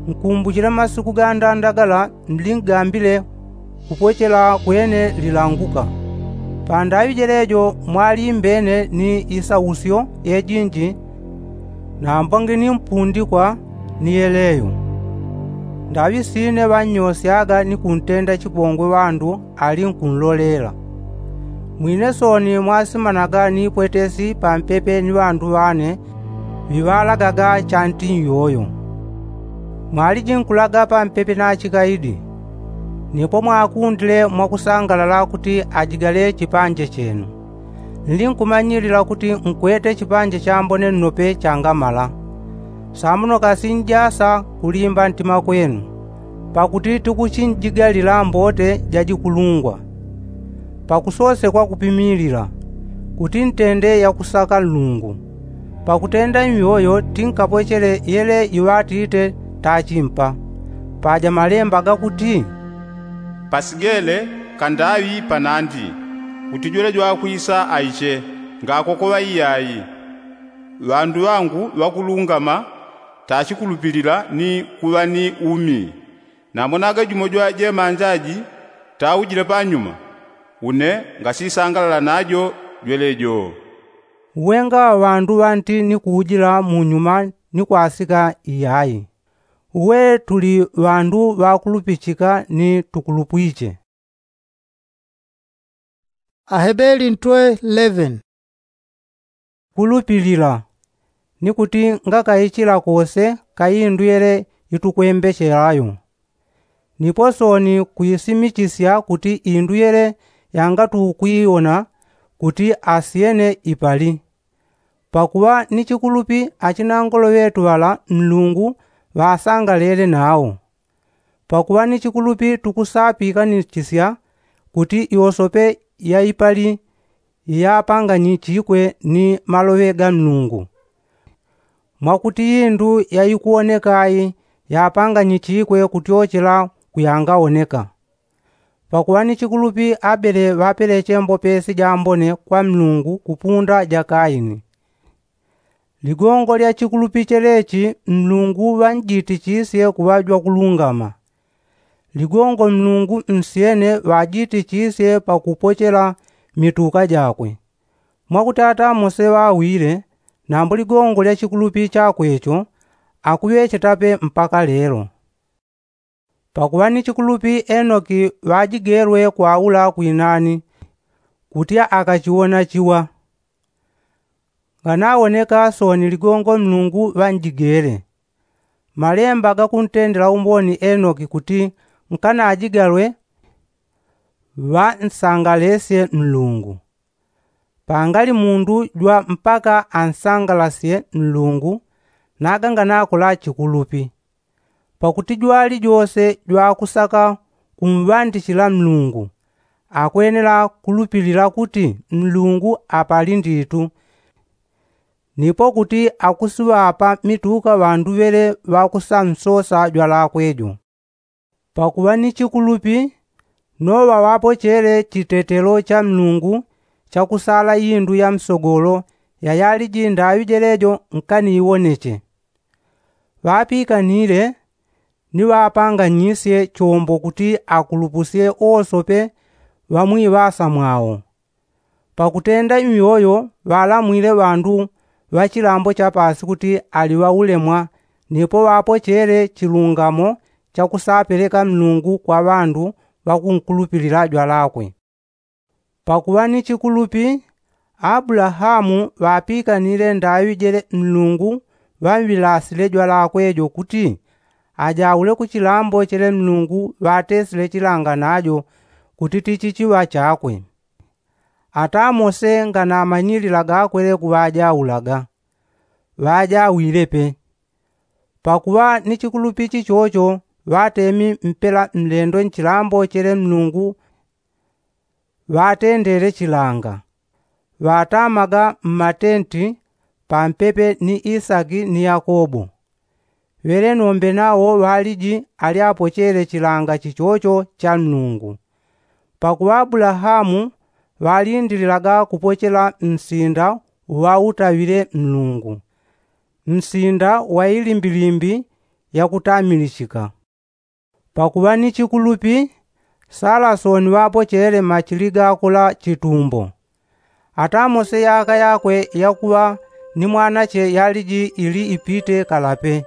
Nkumbuchile masiku gandanda gala mlingambile kupochela kwene lilanguka. Pandaŵi jelejo mwalimbene ni isausyo yejinji. Nambo ngini mpundikwa ni yeleyo. Ndaŵi sine ŵannyosyaga ni kuntenda chipongwe ŵandu ali nkunlolela. Mwine sooni mwasimanaga ni pwetesi pampepe ni ŵandu ŵane ŵiŵalagaga chanti nyoyo. Mwaliji nkulaga pampepe na chikaidi. Nipo mwakundile mwakusangalala kuti ajigale chipanje chenu. Nlinkumanyilila kuti nkwete chipanje chambone nnope changamala. Samuno kasi njasa kulimba ntima kwenu. Pakuti tikuchinjigalila mbote jajikulungwa pakusosekwa kupimilila kuti ntende yakusaka nlungu. Pakutenda nyoyo tinkapochele yele iŵatite tachimpa. Paja malemba gakuti, pasigele kandaŵi panandi kuti jwele jwakwisa aiche ngakokoŵa iyai. Ŵandu ŵangu ŵakulungama tachikulupilila ni kuŵa ni umi. Namonaga jumo jwa jemanjaji taujile panyuma. Une ngasisangalala najo. jwelejo. Uwe ngaŵa ŵandu ŵanti ni kuujila munyuma ni kwasika iyayi. Uwe tuli ŵandu ŵakulupichika ni tukulupwiche. Ahebeli ntwe eleven. Kulupilila ni kuti ngakaichila kose kaindwele itukwembechelayo. Nipo soni kuisimichisya kuti indwele yangatukwiona kuti asyene ipali. Pakuŵa ni chikulupi achinangolo ŵetu ŵala nlungu ŵasangalele nawo. Pakuŵa ni chikulupi tukusaapikanichisya kuti iwosope yaipali iyapanganyichikwe ni maloŵe ga nlungu. Mwakuti indu yaikuwoneka ayi yapanganyichikwe kutyochela kuyangaoneka. Pakuŵa ni chikulupi abele ŵapeleche mbopesi jambone kwa nlungu kupunda ja kaini. Ligongo lya chikulupi chelechi nlungu ŵanjitichisye kuŵa jwakulungama. Ligongo nlungu nsyene ŵajitichisye pakupochela mituka jakwe. Mwakuti ata mose ŵawile, nambo ligongo lya chikulupi chakwecho akuŵechetape mpaka lelo. Pakuŵa ni chikulupi enoki ŵajigelwe kwaula kwinani kuti akachiwona chiwa. Nganawoneka soni ligongo nlungu ŵanjigele. Malemba gakuntendela umboni enoki kuti nkanajigalwe ŵansangalesye nlungu. Pangali mundu jwa mpaka ansangalasye nlungu naganganakola chikulupi. Pakuti jwali jose jwakusaka kumŵandichila nlungu akwenela kulupilila kuti nlungu apali nditu. Nipo kuti akusiŵapa mituka ŵandu ŵele ŵakusansosa jwalakwe jo. Pakuŵa ni chikulupi noŵa ŵapochele chitetelo cha nlungu chakusala indu ya msogolo yayaliji ndaŵi jelejo nkaniiwoneche. Ŵapikanile ni ŵapanganyisye chombo kuti akulupusye owosope ŵamwiŵasa mwao. Pakutenda iyoyo ŵalamwile ŵandu ŵa chilambo chapaasi kuti ali ŵaulemwa nipo ŵapochele chilungamo chakusapeleka nlungu kwa ŵandu ŵakunkulupilila jwalakwe. Pakuŵa ni chikulupi abulahamu ŵapikanile ndaŵi jele nlungu ŵamŵilasile jwalakwe jo kuti ajaule ku chilambo chele nlungu ŵatesile chilanga najo kuti tichichiŵa chakwe. Ata mose nganamanyilila gakwele kuŵajaulaga ŵajawile pe. Pakuŵa ni chikulupi chichocho ŵatemi mpela nlendo nchilambo chele nlungu ŵatendele chilanga. Ŵatamaga mmatenti pampepe ni isaki ni yakobo. Ŵele nombe nawo ŵaliji alyapochele chilanga chichocho cha nlungu. Pakuŵa abulahamu ŵalindililaga kupochela nsinda uŵautaŵile nlungu, nsinda wa ilimbilimbi yakutamilichika. Pakuŵa ni chikulupi sala soni ŵapochele machili gakula chitumbo. Ata mose yaka yakwe yakuŵa ni mwanache yaliji ili ipite kalape.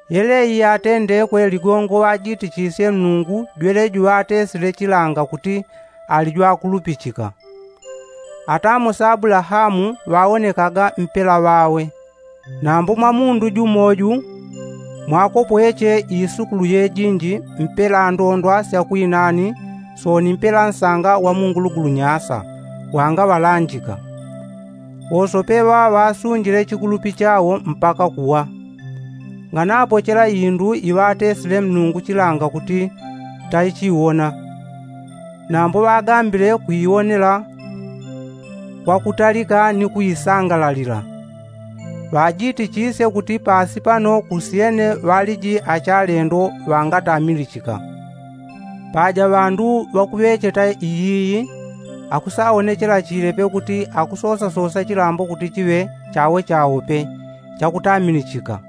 Yeleyi yatendekwe ligongo ŵajitichisye nlungu jweleji ŵatesile chilanga kuti ali jwakulupichika. Ata mose abulahamu ŵawonekaga mpela ŵawe. Nambo mwa mundu jumo ju mwakopweche isukulu yejinji mpela ndondwa sya kwinani soni mpela nsanga wa mungulugulu nyasa wangaŵalanjika. Wosope ŵaŵasunjile chikulupi chawo mpaka kuwa. Nganapochela indu iŵatesile mlungu chilanga kuti taichiwona. Nambo ŵagambile kuiwonela kwakutalika ni kuisangalalila. Ŵajitichisye kuti paasi pano kusyene ŵaliji achalendo ŵangatamilichika. Paja ŵandu ŵakuŵecheta iyiyi akusawonechela chilepe kuti akusosasosa chilambo kuti chiŵe chawo chawo pe chakutamilichika.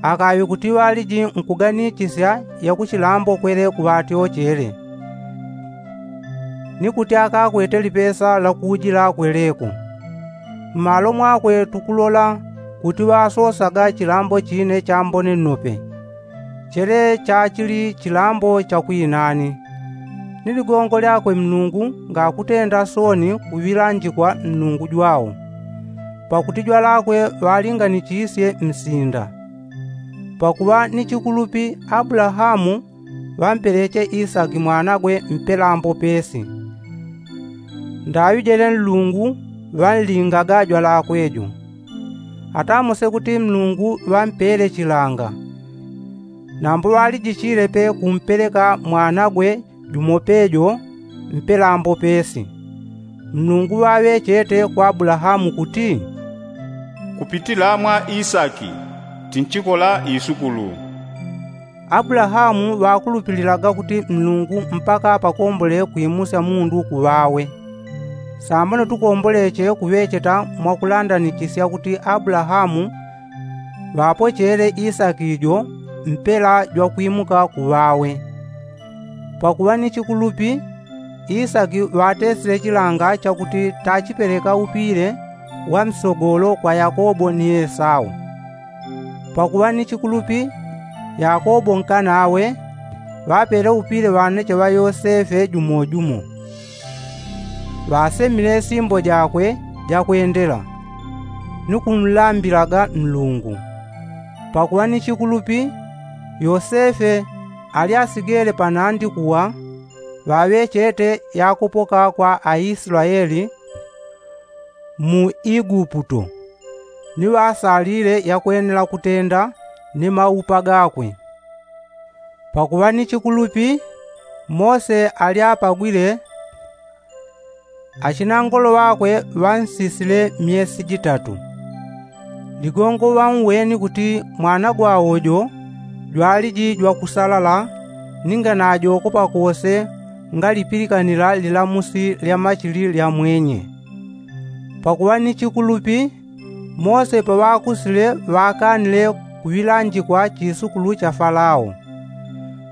Akaŵe kuti ŵaliji nkuganichisya yakuchilambo kwele kuŵatyochele. ni kuti akakwete lipesa la kuujilakwe leko. Mmalo mwakwe tukulola kuti ŵasosaga chilambo chine chambone nnope. Chele chachili chilambo cha kwinani. Ni ligongo lyakwe mlungu ngakutenda sooni kuŵilanjikwa mlungu jwao, pakuti jwalakwe ŵalinganichisye msinda. Pakuŵa ni chikulupi abulahamu ŵampeleche isaki mwanagwe mpelambo pesi. Ndaŵi jele nlungu ŵanlingaga jwalakwe jo. Ata mose kuti mlungu ŵampele chilanga, nambo ŵalijichile pe kumpeleka mwanagwe jumo pejo mpelambo pesi. Mlungu ŵaŵechete kwa abulahamu kuti, kupitila mwa isaki tinchikola isukulu. Abulahamu ŵakulupililaga kuti mlungu mpaka pakombole kwimusya mundu kuŵawe. Sambano tukomboleche kuŵecheta mwakulandanichisya kuti abulahamu ŵapochele isaki jo mpela jwakwimuka kuŵawe. Pakuŵa ni chikulupi isaki ŵatesile chilanga chakuti tachipeleka upile wa msogolo kwa yakobo ni esau. Pakuŵa ni chikulupi yakobo nkanawe ŵapele upile ŵanache ŵa yosefe jumo jumo. Ŵasemile simbo jakwe jakwendela ni kumlambilaga nlungu. Pakuŵa ni chikulupi yosefe ali asigele panandi kuwa ŵaŵechete yakupoka kwa aisulaeli mu iguputo, ni ŵasalile yakwenela kutenda ni maupa gakwe. Pakuŵa ni chikulupi mose ali apagwile achinangolo ŵakwe ŵansisile myesi jitatu. Ligongo ŵauweni kuti mwana gwawo jo jwaliji jwakusalala ninga najokopa kose ngalipilikanila lilamusi lya machili lya mwenye. Pakuŵa ni chikulupi mose paŵakusile ŵakanile kuŵilanjikwa chisukulu cha falao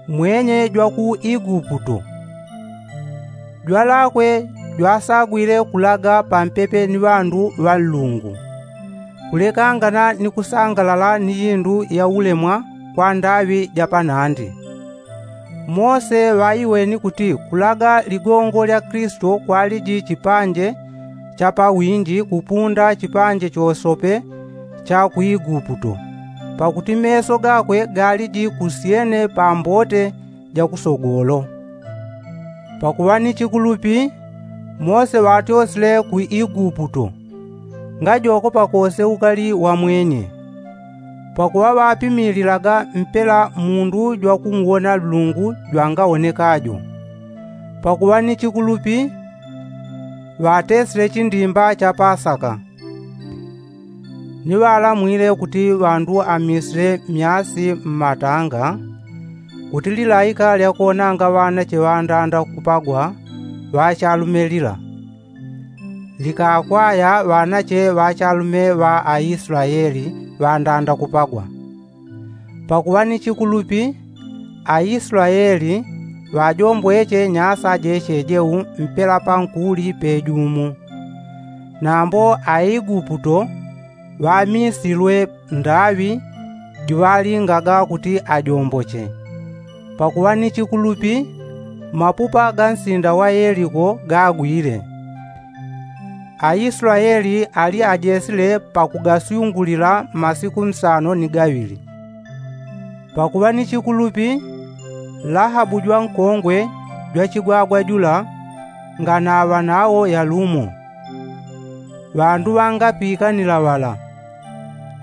mwenye jwa ku iguputo. Jwalakwe jwasagwile kulaga pampepe ni ŵandu ŵa nlungu kulekangana ni kusangalala ni jindu ya ulemwa kwa ndaŵi ja panandi. Mose ŵaiweni kuti kulaga ligongo lya kilisito kwaliji chipanje cha pawinji kupunda chipanje chosope cha ku iguputo, pakuti meso gakwe galiji kusyene pa mbote ja kusogolo. Pakuŵa ni chikulupi mose ŵatyosile ku iguputo ngajokopa kose ukali wa mwenye. Pakuŵa ŵapimililaga mpela mundu jwakumuwona nlungu jwangawonekajo. Pakuŵa ni chikulupi ŵatesile chindimba cha pasaka. Ni ŵalamwile kuti ŵandu amisile myasi mmatanga kuti lilaika lyakuwonanga ŵanache ŵandanda kupagwa ŵachalume lila likakwaya ŵanache ŵachalume ŵa aisulaeli ŵandanda kupagwa. Pakuŵa ni chikulupi aisulaeli ŵajombweche nyasa jechejeu mpela pankuli pejumu. Nambo aiguputo ŵamisilwe ndaŵi juŵalingaga kuti ajomboche. Pakuŵa ni chikulupi mapupa ga nsinda wa yeliko gagwile. Aisulaeli ali ajesile pakugasyungulila masiku nsano ni gaŵili. Pakuŵa ni chikulupi lahabu jwankongwe jwachigwagwa jula nganaŵa nawo yalumo. Ŵandu ŵangapikanila ŵala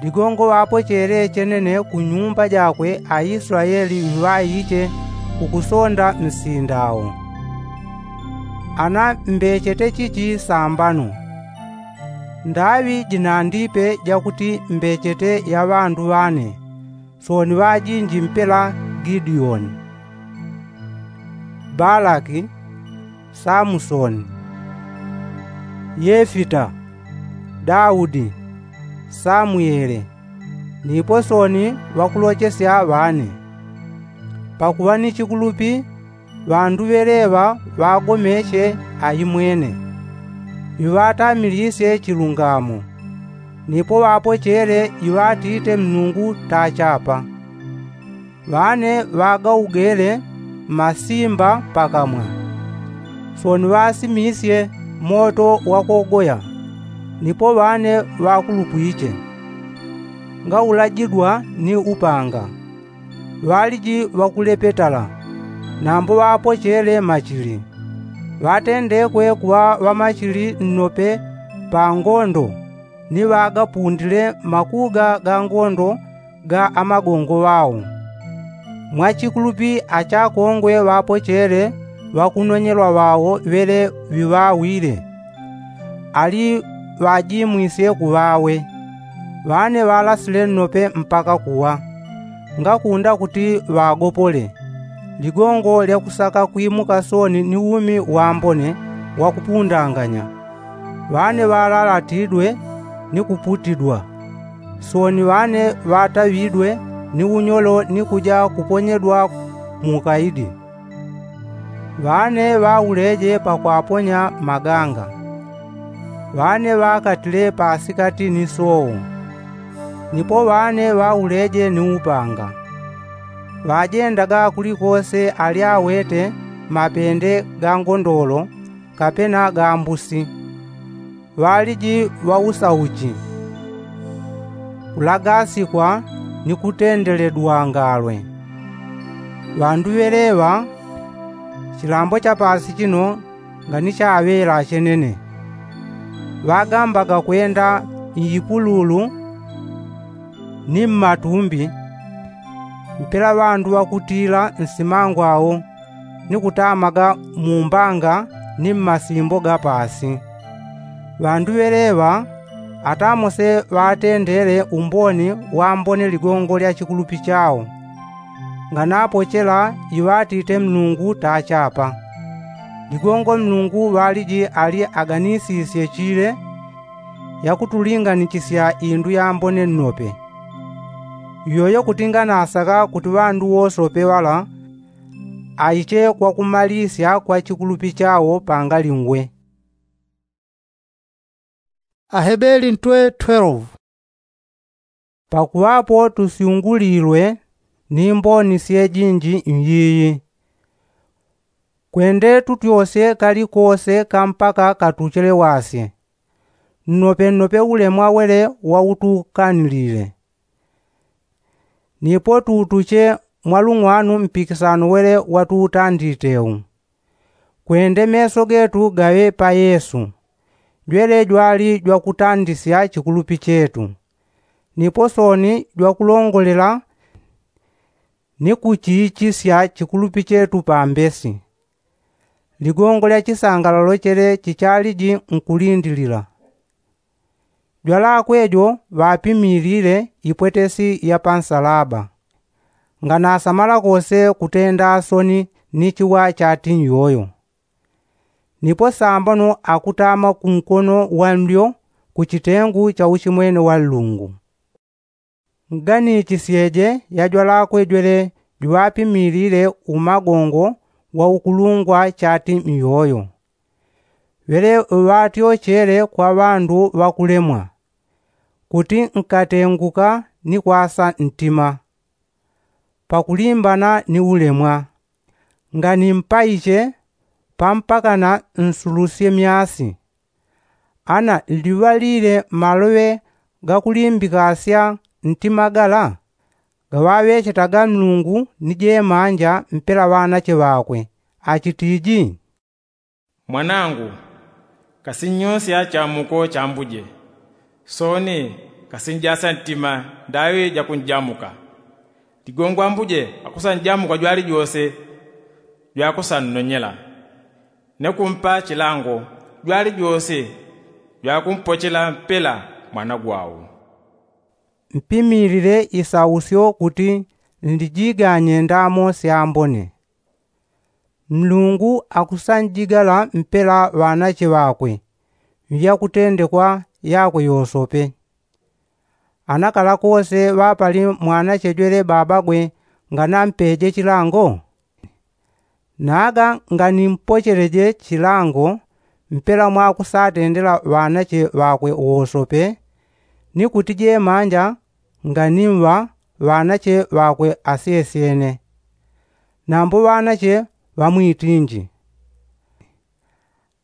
ligongo ŵapochele chenene ku nyumba jakwe aisulaeli ŵiŵaiche kukusonda msinda wo. Ana mbechete chichi sambano ndaŵi jinandipe jakuti mbechete ya ŵandu ŵane. Sooni ŵajinji mpela gideoni, balaki, samusoni, yefita, daudi, samwele, nipo sooni ŵakulochesya ŵane. Pakuŵa ni chikulupi Ŵandu ŵeleŵa ŵagomeche aimwene, iŵatamilisye chilungamo, nipo ŵapochele iŵatite mnungu tachapa. Ŵane ŵagaugele masimba pakamwa, soni ŵasimisye moto wakogoya. Nipo ŵane ŵakulupwiche ngaulajidwa ni upanga, ŵaliji ŵakulepetala, nambo ŵapochele machili. Ŵatendekwe kuŵa ŵamachili nnope pa ngondo, ni ŵagapundile makuga ga ngondo ga amagongo ŵao. Mwachikulupi achakongwe ŵapochele ŵakunonyelwa ŵao ŵele ŵiŵawile, ali ŵajimwisye kuŵawe. Ŵane ŵalasile nnope mpaka kuwa, ngakunda kuti ŵagopole. Ligongo lya kusaka kwimuka soni ni umi wambone wakupundanganya. Ŵane ŵalalatidwe ni kuputidwa, soni ŵane ŵataŵidwe ni unyolo ni kuja kuponyedwa muukaidi. Ŵane ŵauleje pakwaponya maganga, ŵane ŵakatile pasikati ni soo, nipo ŵane ŵauleje ni upanga. Ŵajendaga kulikose alyawete mapende ga ngondolo kapena ga mbusi. Ŵaliji ŵausauchi, kulagasikwa ni kutendeledwa ngalwe. Ŵandu ŵeleŵa chilambo cha pasi chino nganichaŵela chenene, ŵagambaga kwenda m'ipululu ni mmatumbi, mpela ŵandu ŵakutila nsimangwao ni kutamaga mumbanga ni mmasimbo ga pasi. Ŵandu ŵeleŵa atamose ŵatendele umboni wambone ligongo lya chikulupi chao, nganapochela iŵatite mlungu tachapa. Ligongo mlungu ŵaliji ali aganisisye chile yakutulinganichisya indu yambone nnope. Iyoyo kuti nganasaka kuti ŵandu wosope ŵala aiche kwakumalisya kwa chikulupi chao pangalingwe. Ahebeli ntwe twelve. Pakuŵapo tusyungulilwe ni mboni syejinji nyiyi, kwende tutyosye kalikose kampaka katuchele wasye, nnope nnope ulemwa wele wautukanilile. Nipo tuutuche mwalung'wanu mpikisano wele watuutandite u, kwende meso getu gaŵe pa yesu, jwele jwali jwakutandisya chikulupi chetu, nipo soni jwakulongolela ni kuchiichisya chikulupi chetu pambesi. Ligongo lya chisangalalo chele chichaliji nkulindilila. Jwalakwe jo ŵapimilile ipwetesi ya pansalaba, nganasamala kose kutenda soni ni chiwa chati nyoyo. Nipo sambano akutama kunkono wa ndyo ku chitengu cha uchimwene wa nlungu. Nganisisyeje yajwalakwe jwele juŵapimilile umagongo wa ukulungwa chati myoyo, ŵele ŵatyochele kwa ŵandu ŵakulemwa, kuti nkatenguka ni kwasa ntima pakulimbana ni ulemwa, nganimpaiche pampakana nsulusye myasi. Ana liŵalile maloŵe gakulimbikasya ntima gala gaŵaŵechetaga nlungu ni jemanja mpela ŵanache ŵakwe, achitiji, mwanangu, kasinnyosya chamuko cha mbuje, soni kasinjasya ntima ndaŵi jakunjamuka. Ligongo ambuje akusanjamuka jwalijose jwakusannonyela, ne kumpa chilango jwalijose jwakumpochela mpela mwana gwau. Mpimilile isausyo kuti nlijiganye ndamo syambone. Mlungu akusanjigala mpela ŵanache ŵakwe mvyakutendekwa yakwe yosope. Anakala kose ŵapali mwanache jwele babagwe nganampeje chilango? Naga nganimpocheleje chilango mpela mwakusatendela ŵanache ŵakwe wosope, ni kuti jemanja nganimŵa ŵanache ŵakwe asyesyene. Nambo ŵanache ŵamwitinji,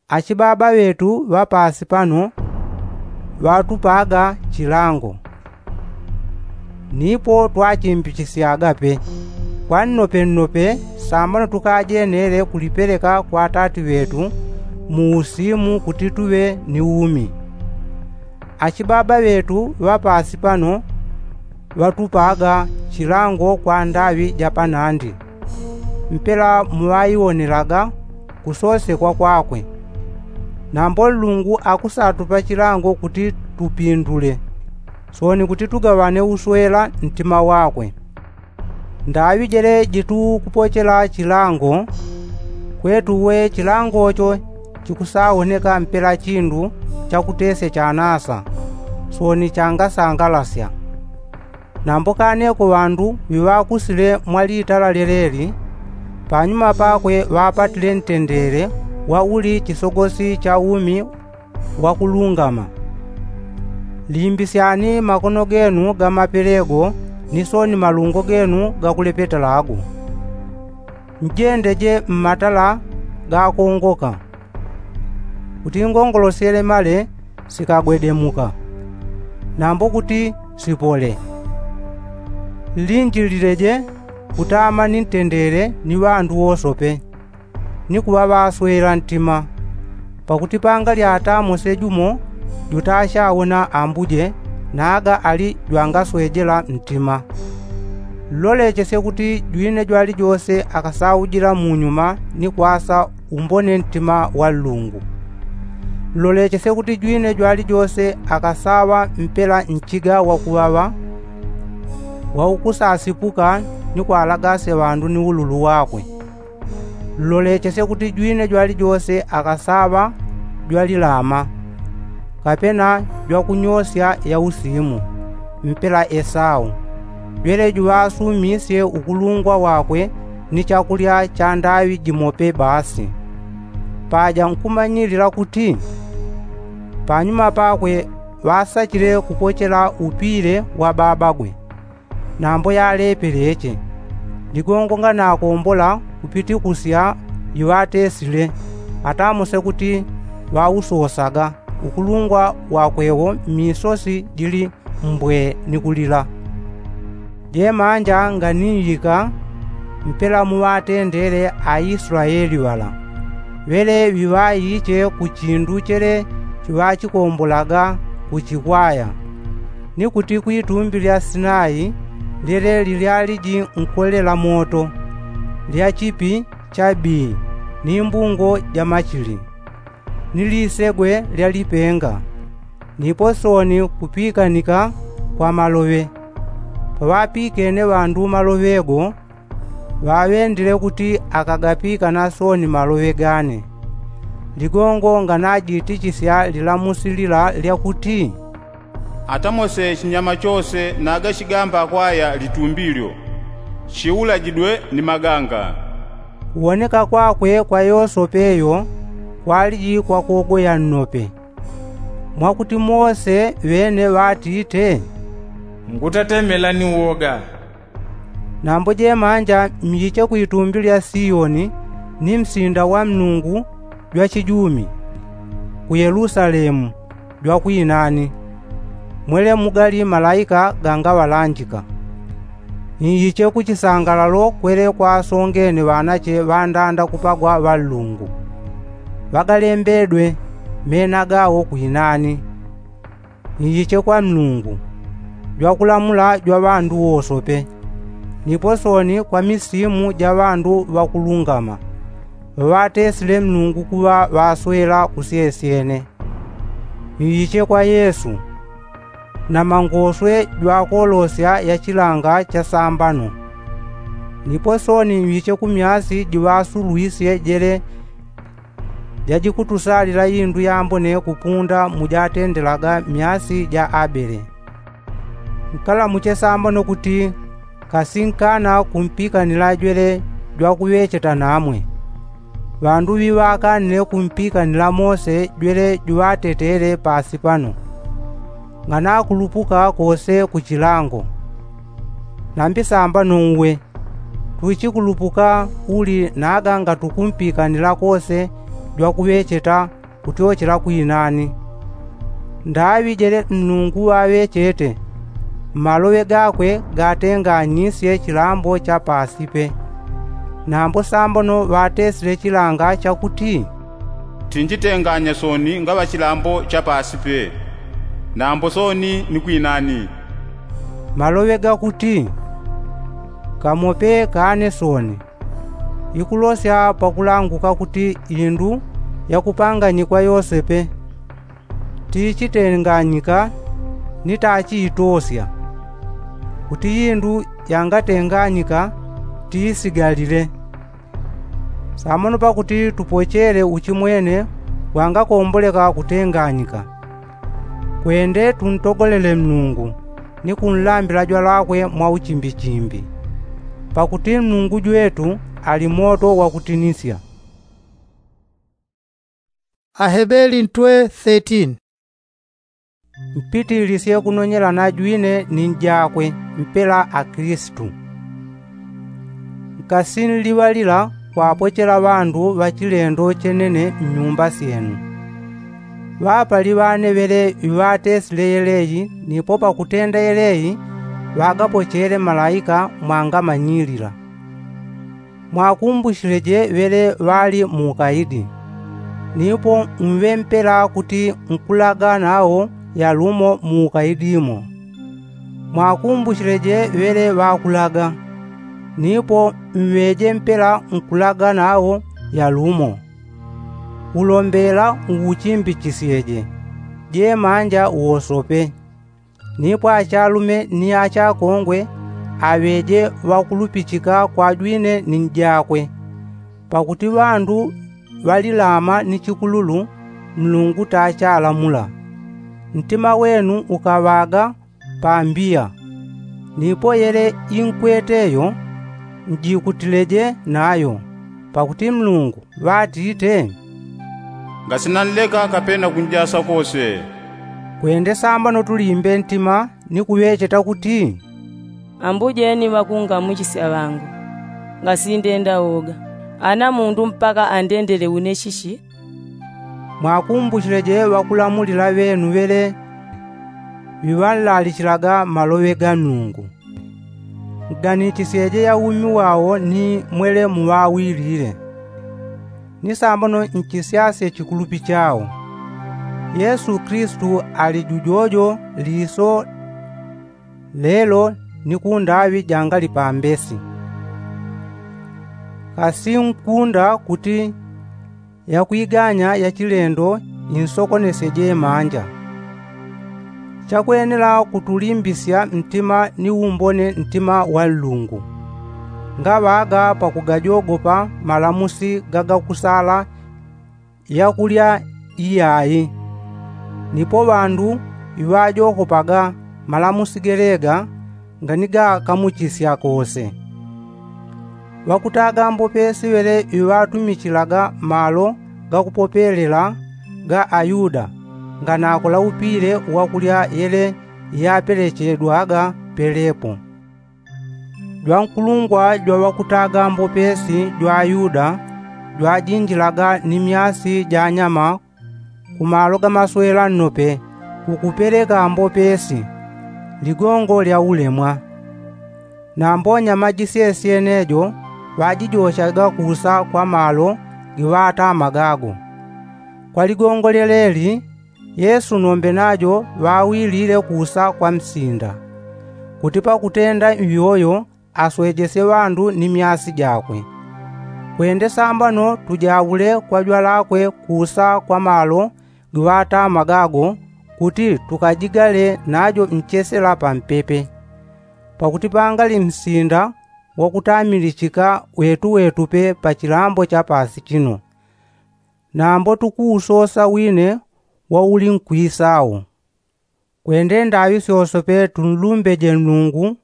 achibaba ŵetu ŵa paasi pano ŵatupaga chilango, nipo twachimbichisyaga pe. Kwa nnope nnope sambano tukajenele kulipeleka kwa atati ŵetu mu usimu kuti tuŵe ni umi. Achibaba ŵetu ŵa paasi pano ŵatupaga chilango kwa ndaŵi ja panandi, mpela muŵaiwonelaga kusosekwa kwakwe. Nambo nlungu akusatupa chilango kuti tupindule, sooni kuti tugaŵane uswela ntima wakwe. Ndaŵi jele jitukupochela chilango, kwetu we chilangocho chikusawoneka mpela chindu chakutesya chanasa, sooni changasangalasya. Nambo kaneko ŵandu ŵiŵakusile mwa litala lyeleli, panyuma pakwe ŵapatile ntendele wa uli chisogosi cha umi wakulungama. Limbisyani makono genu ga mapelego ni sooni malungo genu gakulepetalago. Njendeje mmatala gakongoka, kuti ngongolosyele male sikagwedemuka, nambo kuti sipole. Linjilileje kutama ni ntendele ni ŵandu wosope, ni kuŵa ŵaswela ntima. Pakuti pangalya ata mose jumo jutashawona ambuje, naga ali jwangaswejela ntima. Nlolechesye kuti jwine jwalijose akasaujila munyuma ni kwasa umbone ntima wa nlungu. Nlolechesye kuti jwine jwalijose akasaŵa mpela nchiga wakuŵaŵa, waukusasipuka ni kwalagasya ŵandu ni ululu wakwe. Nlolechesye kuti jwine jwalijose akasaŵa jwalilama, kapena jwakunyosya ya usimu, mpela esau, jwele juŵasumisye ukulungwa wakwe ni chakulya cha ndaŵi jimope basi. Paja nkumanyilila kuti panyuma pakwe ŵasachile kupochela upile wa babagwe. Nambo yalepeleche, ligongo nganakombola kupitikusya iŵatesile, ata mose kuti ŵausosaga ukulungwa wakwewo mmisosi jili mbwe ni kulila. Jemanja nganiŵika mpela muŵatendele aislaeli ŵala, ŵele ŵiŵaiche ku chindu chele chiŵachikombolaga kuchikwaya, ni kuti kwitumbi lya sinai, lyele lilyaliji nkolela moto, lya chipi cha bii, ni mbungo ja machili, ni lisegwe lya lipenga, nipo sooni kupikanika kwa maloŵe. Paŵapikene ŵandu maloŵe go, ŵaŵendile kuti akagapikana sooni maloŵe gane. Ligongo nganajitichisya lilamusi lila lya kuti, ata mose chinyama chose naga chigamba kwaya litumbi lyo, chiulajidwe ni maganga. Kuwoneka kwakwe kwa yosope yo kwaliji kwa kogoya nnope, mwakuti mose ŵene ŵatite, ngutatemela ni woga. Nambo jemanja myiche kwitumbi lya siyoni, ni msinda wa mlungu jwa chijumi, ku yelusalemu jwa kwinani, mwele mugali malaika gangaŵalanjika. Nyiche ku chisangalalo kwele kwasongene ŵanache ŵandanda kupagwa ŵa nlungu, ŵagalembedwe mena gawo kwinani. Nyiche kwa mlungu, jwakulamula jwa ŵandu wosope, nipo sooni kwa misimu ja ŵandu ŵakulungama, ŵaŵatesile mlungu kuŵa ŵaswela kusyesyene. Nyiche kwa yesu, na mangoswe jwakolosya ya chilanga cha sambano. Nipo sooni nyiche ku myasi jiŵasulwisye jele jajikutusalila indu yambone kupunda mujatendelaga myasi ja abele. Nkalamuche sambano kuti kasinkana kumpikanila jwele jwakuŵecheta namwe. Ŵandu ŵiŵakanile kumpikanila mose jwele juŵatetele pasi pano, nganakulupuka kose kuchilango. Nambi sambano uwe, tuchikulupuka uli naga ngatukumpikanila kose jwakuŵecheta kutyochela kwinani. Ndaŵi jele nnungu ŵaŵechete, mmaloŵe gakwe gatenganyisye chilambo cha pasi pe. Nambo sambano ŵatesile chilanga chakuti, tinjitenganya soni ngaŵa chilambo cha pasi pe, nambo soni ni kwinani. Maloŵe gakuti, kamope kane soni. Ikulosya pakulanguka kuti indu yakupanganyikwa yose pe, tichitenganyika ni tachiitosya, kuti indu yangatenganyika tiisigalile. Samano pakuti tupochele uchimwene wangakomboleka kutenganyika, kwende tuntogolele nnungu ni kunlambila jwalakwe mwa uchimbichimbi, pakuti nnungu jwetu ali moto wakutinisya. Ahebeli ntwe thirteen. Mpitilisye kunonyela na jwine ni njakwe mpela akilisitu. Nkasinliŵalila kwapochela ŵandu ŵa chilendo chenene mnyumba syenu. Ŵapali ŵane ŵele iŵatesile yeleyi nipo pakutenda yeleyi ŵagapochele malaika mwangamanyilila. Mwakumbuchileje ŵele ŵali muukaidi, nipo mŵe mpela kuti nkulaga nawo yalumo muukaidi mo. Mwakumbuchileje ŵele ŵakulaga, nipo mŵeje mpela nkulaga nawo yalumo. Ulombela uuchimbichisyeje jemanja wosope. Nipo achalume ni achakongwe aŵeje ŵakulupichika kwa jwine ni njakwe, pakuti ŵandu ŵalilama ni chikululu, Nlungu tachalamula. Ntima wenu ukaŵaga pambiya, nipo yele inkweteyo njikutileje nayo, pakuti Nlungu ŵatite, ngasinanleka kapena kunjasa kose. Kwende sambano tulimbe ntima ni kuŵecheta kuti, ambujeni ŵakungamuchisya ŵangu, ngasindenda woga. Ana mundu mpaka andendele une chichi? Mwakumbuchileje ŵakulamulila ŵenu ŵele ŵiŵanlalichilaga maloŵe ga Nlungu. Nganichisyeje ya umi wawo ni mwele muŵawilile. Ni sambano nchisyasye chikulupi chawo. Yesu Kilisitu ali jujojo liso, lelo ni kundaŵi jangali pambesi. Kasinkunda kuti yakwiganya ya chilendo insokonesye jemanja. Chakwenela kutulimbisya ntima ni umbone ntima wa Nlungu, ngaŵaga pakugajogopa malamusi gagakusala yakulya iyayi. Nipo ŵandu iŵajogopaga malamusi gelega nganigakamuchisya kose. Ŵakutaga mbopesi ŵele iŵatumichilaga malo gakupopelela ga Ayuda nganakola upile wakulya yele yapelechedwaga pelepo. Jwankulungwa jwa ŵakutaga mbopesi jwa Ayuda jwajinjilaga ni myasi ja nyama ku malo ga maswela nnope kukupeleka mbopesi, ligongo lya ulemwa. Nambo nyama jisyesyene jo ŵajijochaga kusa kwa malo giŵatamaga go. Kwa ligongo lyeleli, Yesu nombe najo ŵawilile kusa kwa msinda, kuti pakutenda iyoyo aswejesye ŵandu ni myasi jakwe. Kwende sambano tujaule kwa jwalakwe kusa kwa malo giŵatamaga go, kuti tukajigale najo nchesela pampepe. Pakuti pangali msinda wakutamilichika wetuwetupe pa chilambo cha pasi chino, nambo tukuusosa wine wauli nkwisao. Kwende ndaŵi syosope tunlumbeje Nlungu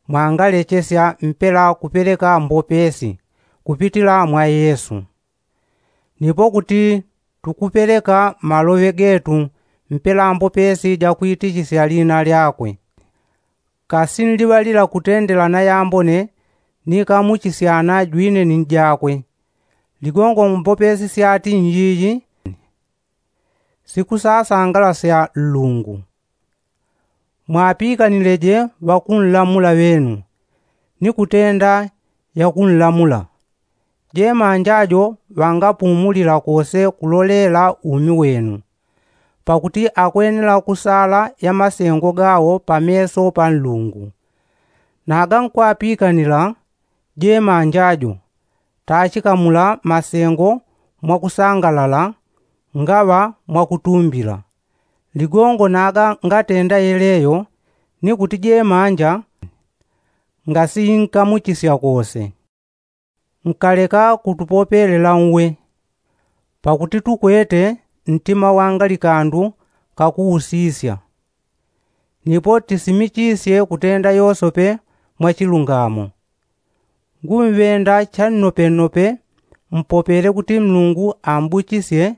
mwangalechesya mpela kupeleka mbopesi kupitila mwa Yesu. Nipo kuti tukupeleka maloŵe getu mpela mbopesi jakwitichisya lina lyakwe. Kasi nliŵalila kutendela na yambone nikamuchisyana jwine ni njakwe. Ligongo mbopesi syati nyiyi sikusasangalasya nlungu. Mwapikanileje ŵakunlamula ŵenu ni kutenda yakunlamula. Jemanja jo ŵangapumulila kose kulolela umi wenu, pakuti akwenela kusala ya masengo gawo pameso pa nlungu. Naga nkwapikanila jemanja jo tachikamula masengo mwakusangalala ngaŵa mwakutumbila. Ligongo naga ngatenda yeleyo ni kuti jemanja ngasiyinkamuchisya kose. Nkaleka kutupopelela nwe pakuti tukwete ntima wanga likandu kakuusisya. Nipo tisimichisye kutenda yosope mwachilungamo. Ngumŵenda channopenope mpopele kuti nlungu ambuchisye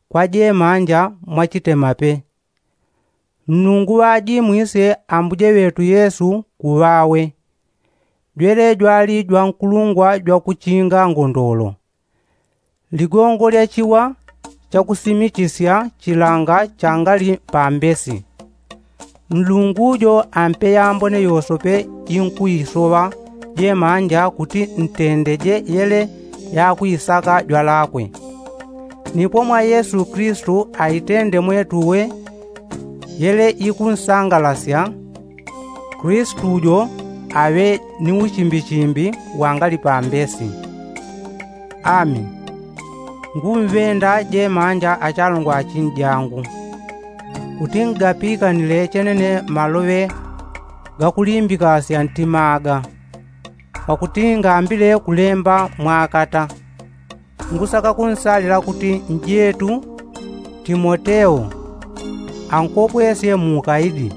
kwa jemanja mwachitemape. Nlungu ŵajimwisye ambuje ŵetu yesu kuŵawe. Jwele jwali jwankulungwa jwakuchinga ngondolo. Ligongo lya chiwa chakusimichisya chilanga changali pambesi. Nlungu jo ampe yambone yosope inkuisoŵa jemanja kuti ntendeje yele yakwisaka jwalakwe. Nipo mwa yesu kilisitu aitende mwetuwe yele ikunsangalasya. Kilisitu jo aŵe ni uchimbichimbi wangali pambesi. Ami ngumŵenda jemanja achalongwa achinjangu kuti ngapikanile chenene maloŵe gakulimbikasya ntima aga. Pakuti ngambile kulemba mwakata ngusaka kunsalila kuti njetu timoteo ankopwesye muukaidi.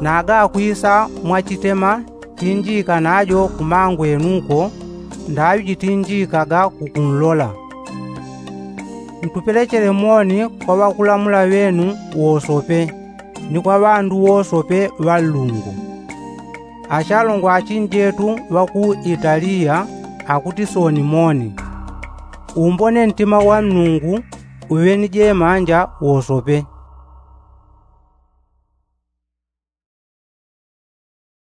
Naga akwisa mwachitema tinjika najo kumangwenuko ndaŵi jitinjikaga kukunlola. Ntupelechele moni kwa ŵakulamula ŵenu wosope ni kwa ŵandu wosope ŵa nlungu. Achalongwa achinjetu ŵa ku italiya akuti soni moni. Umbone ntima wa nlungu uŵe ni jemanja wosope.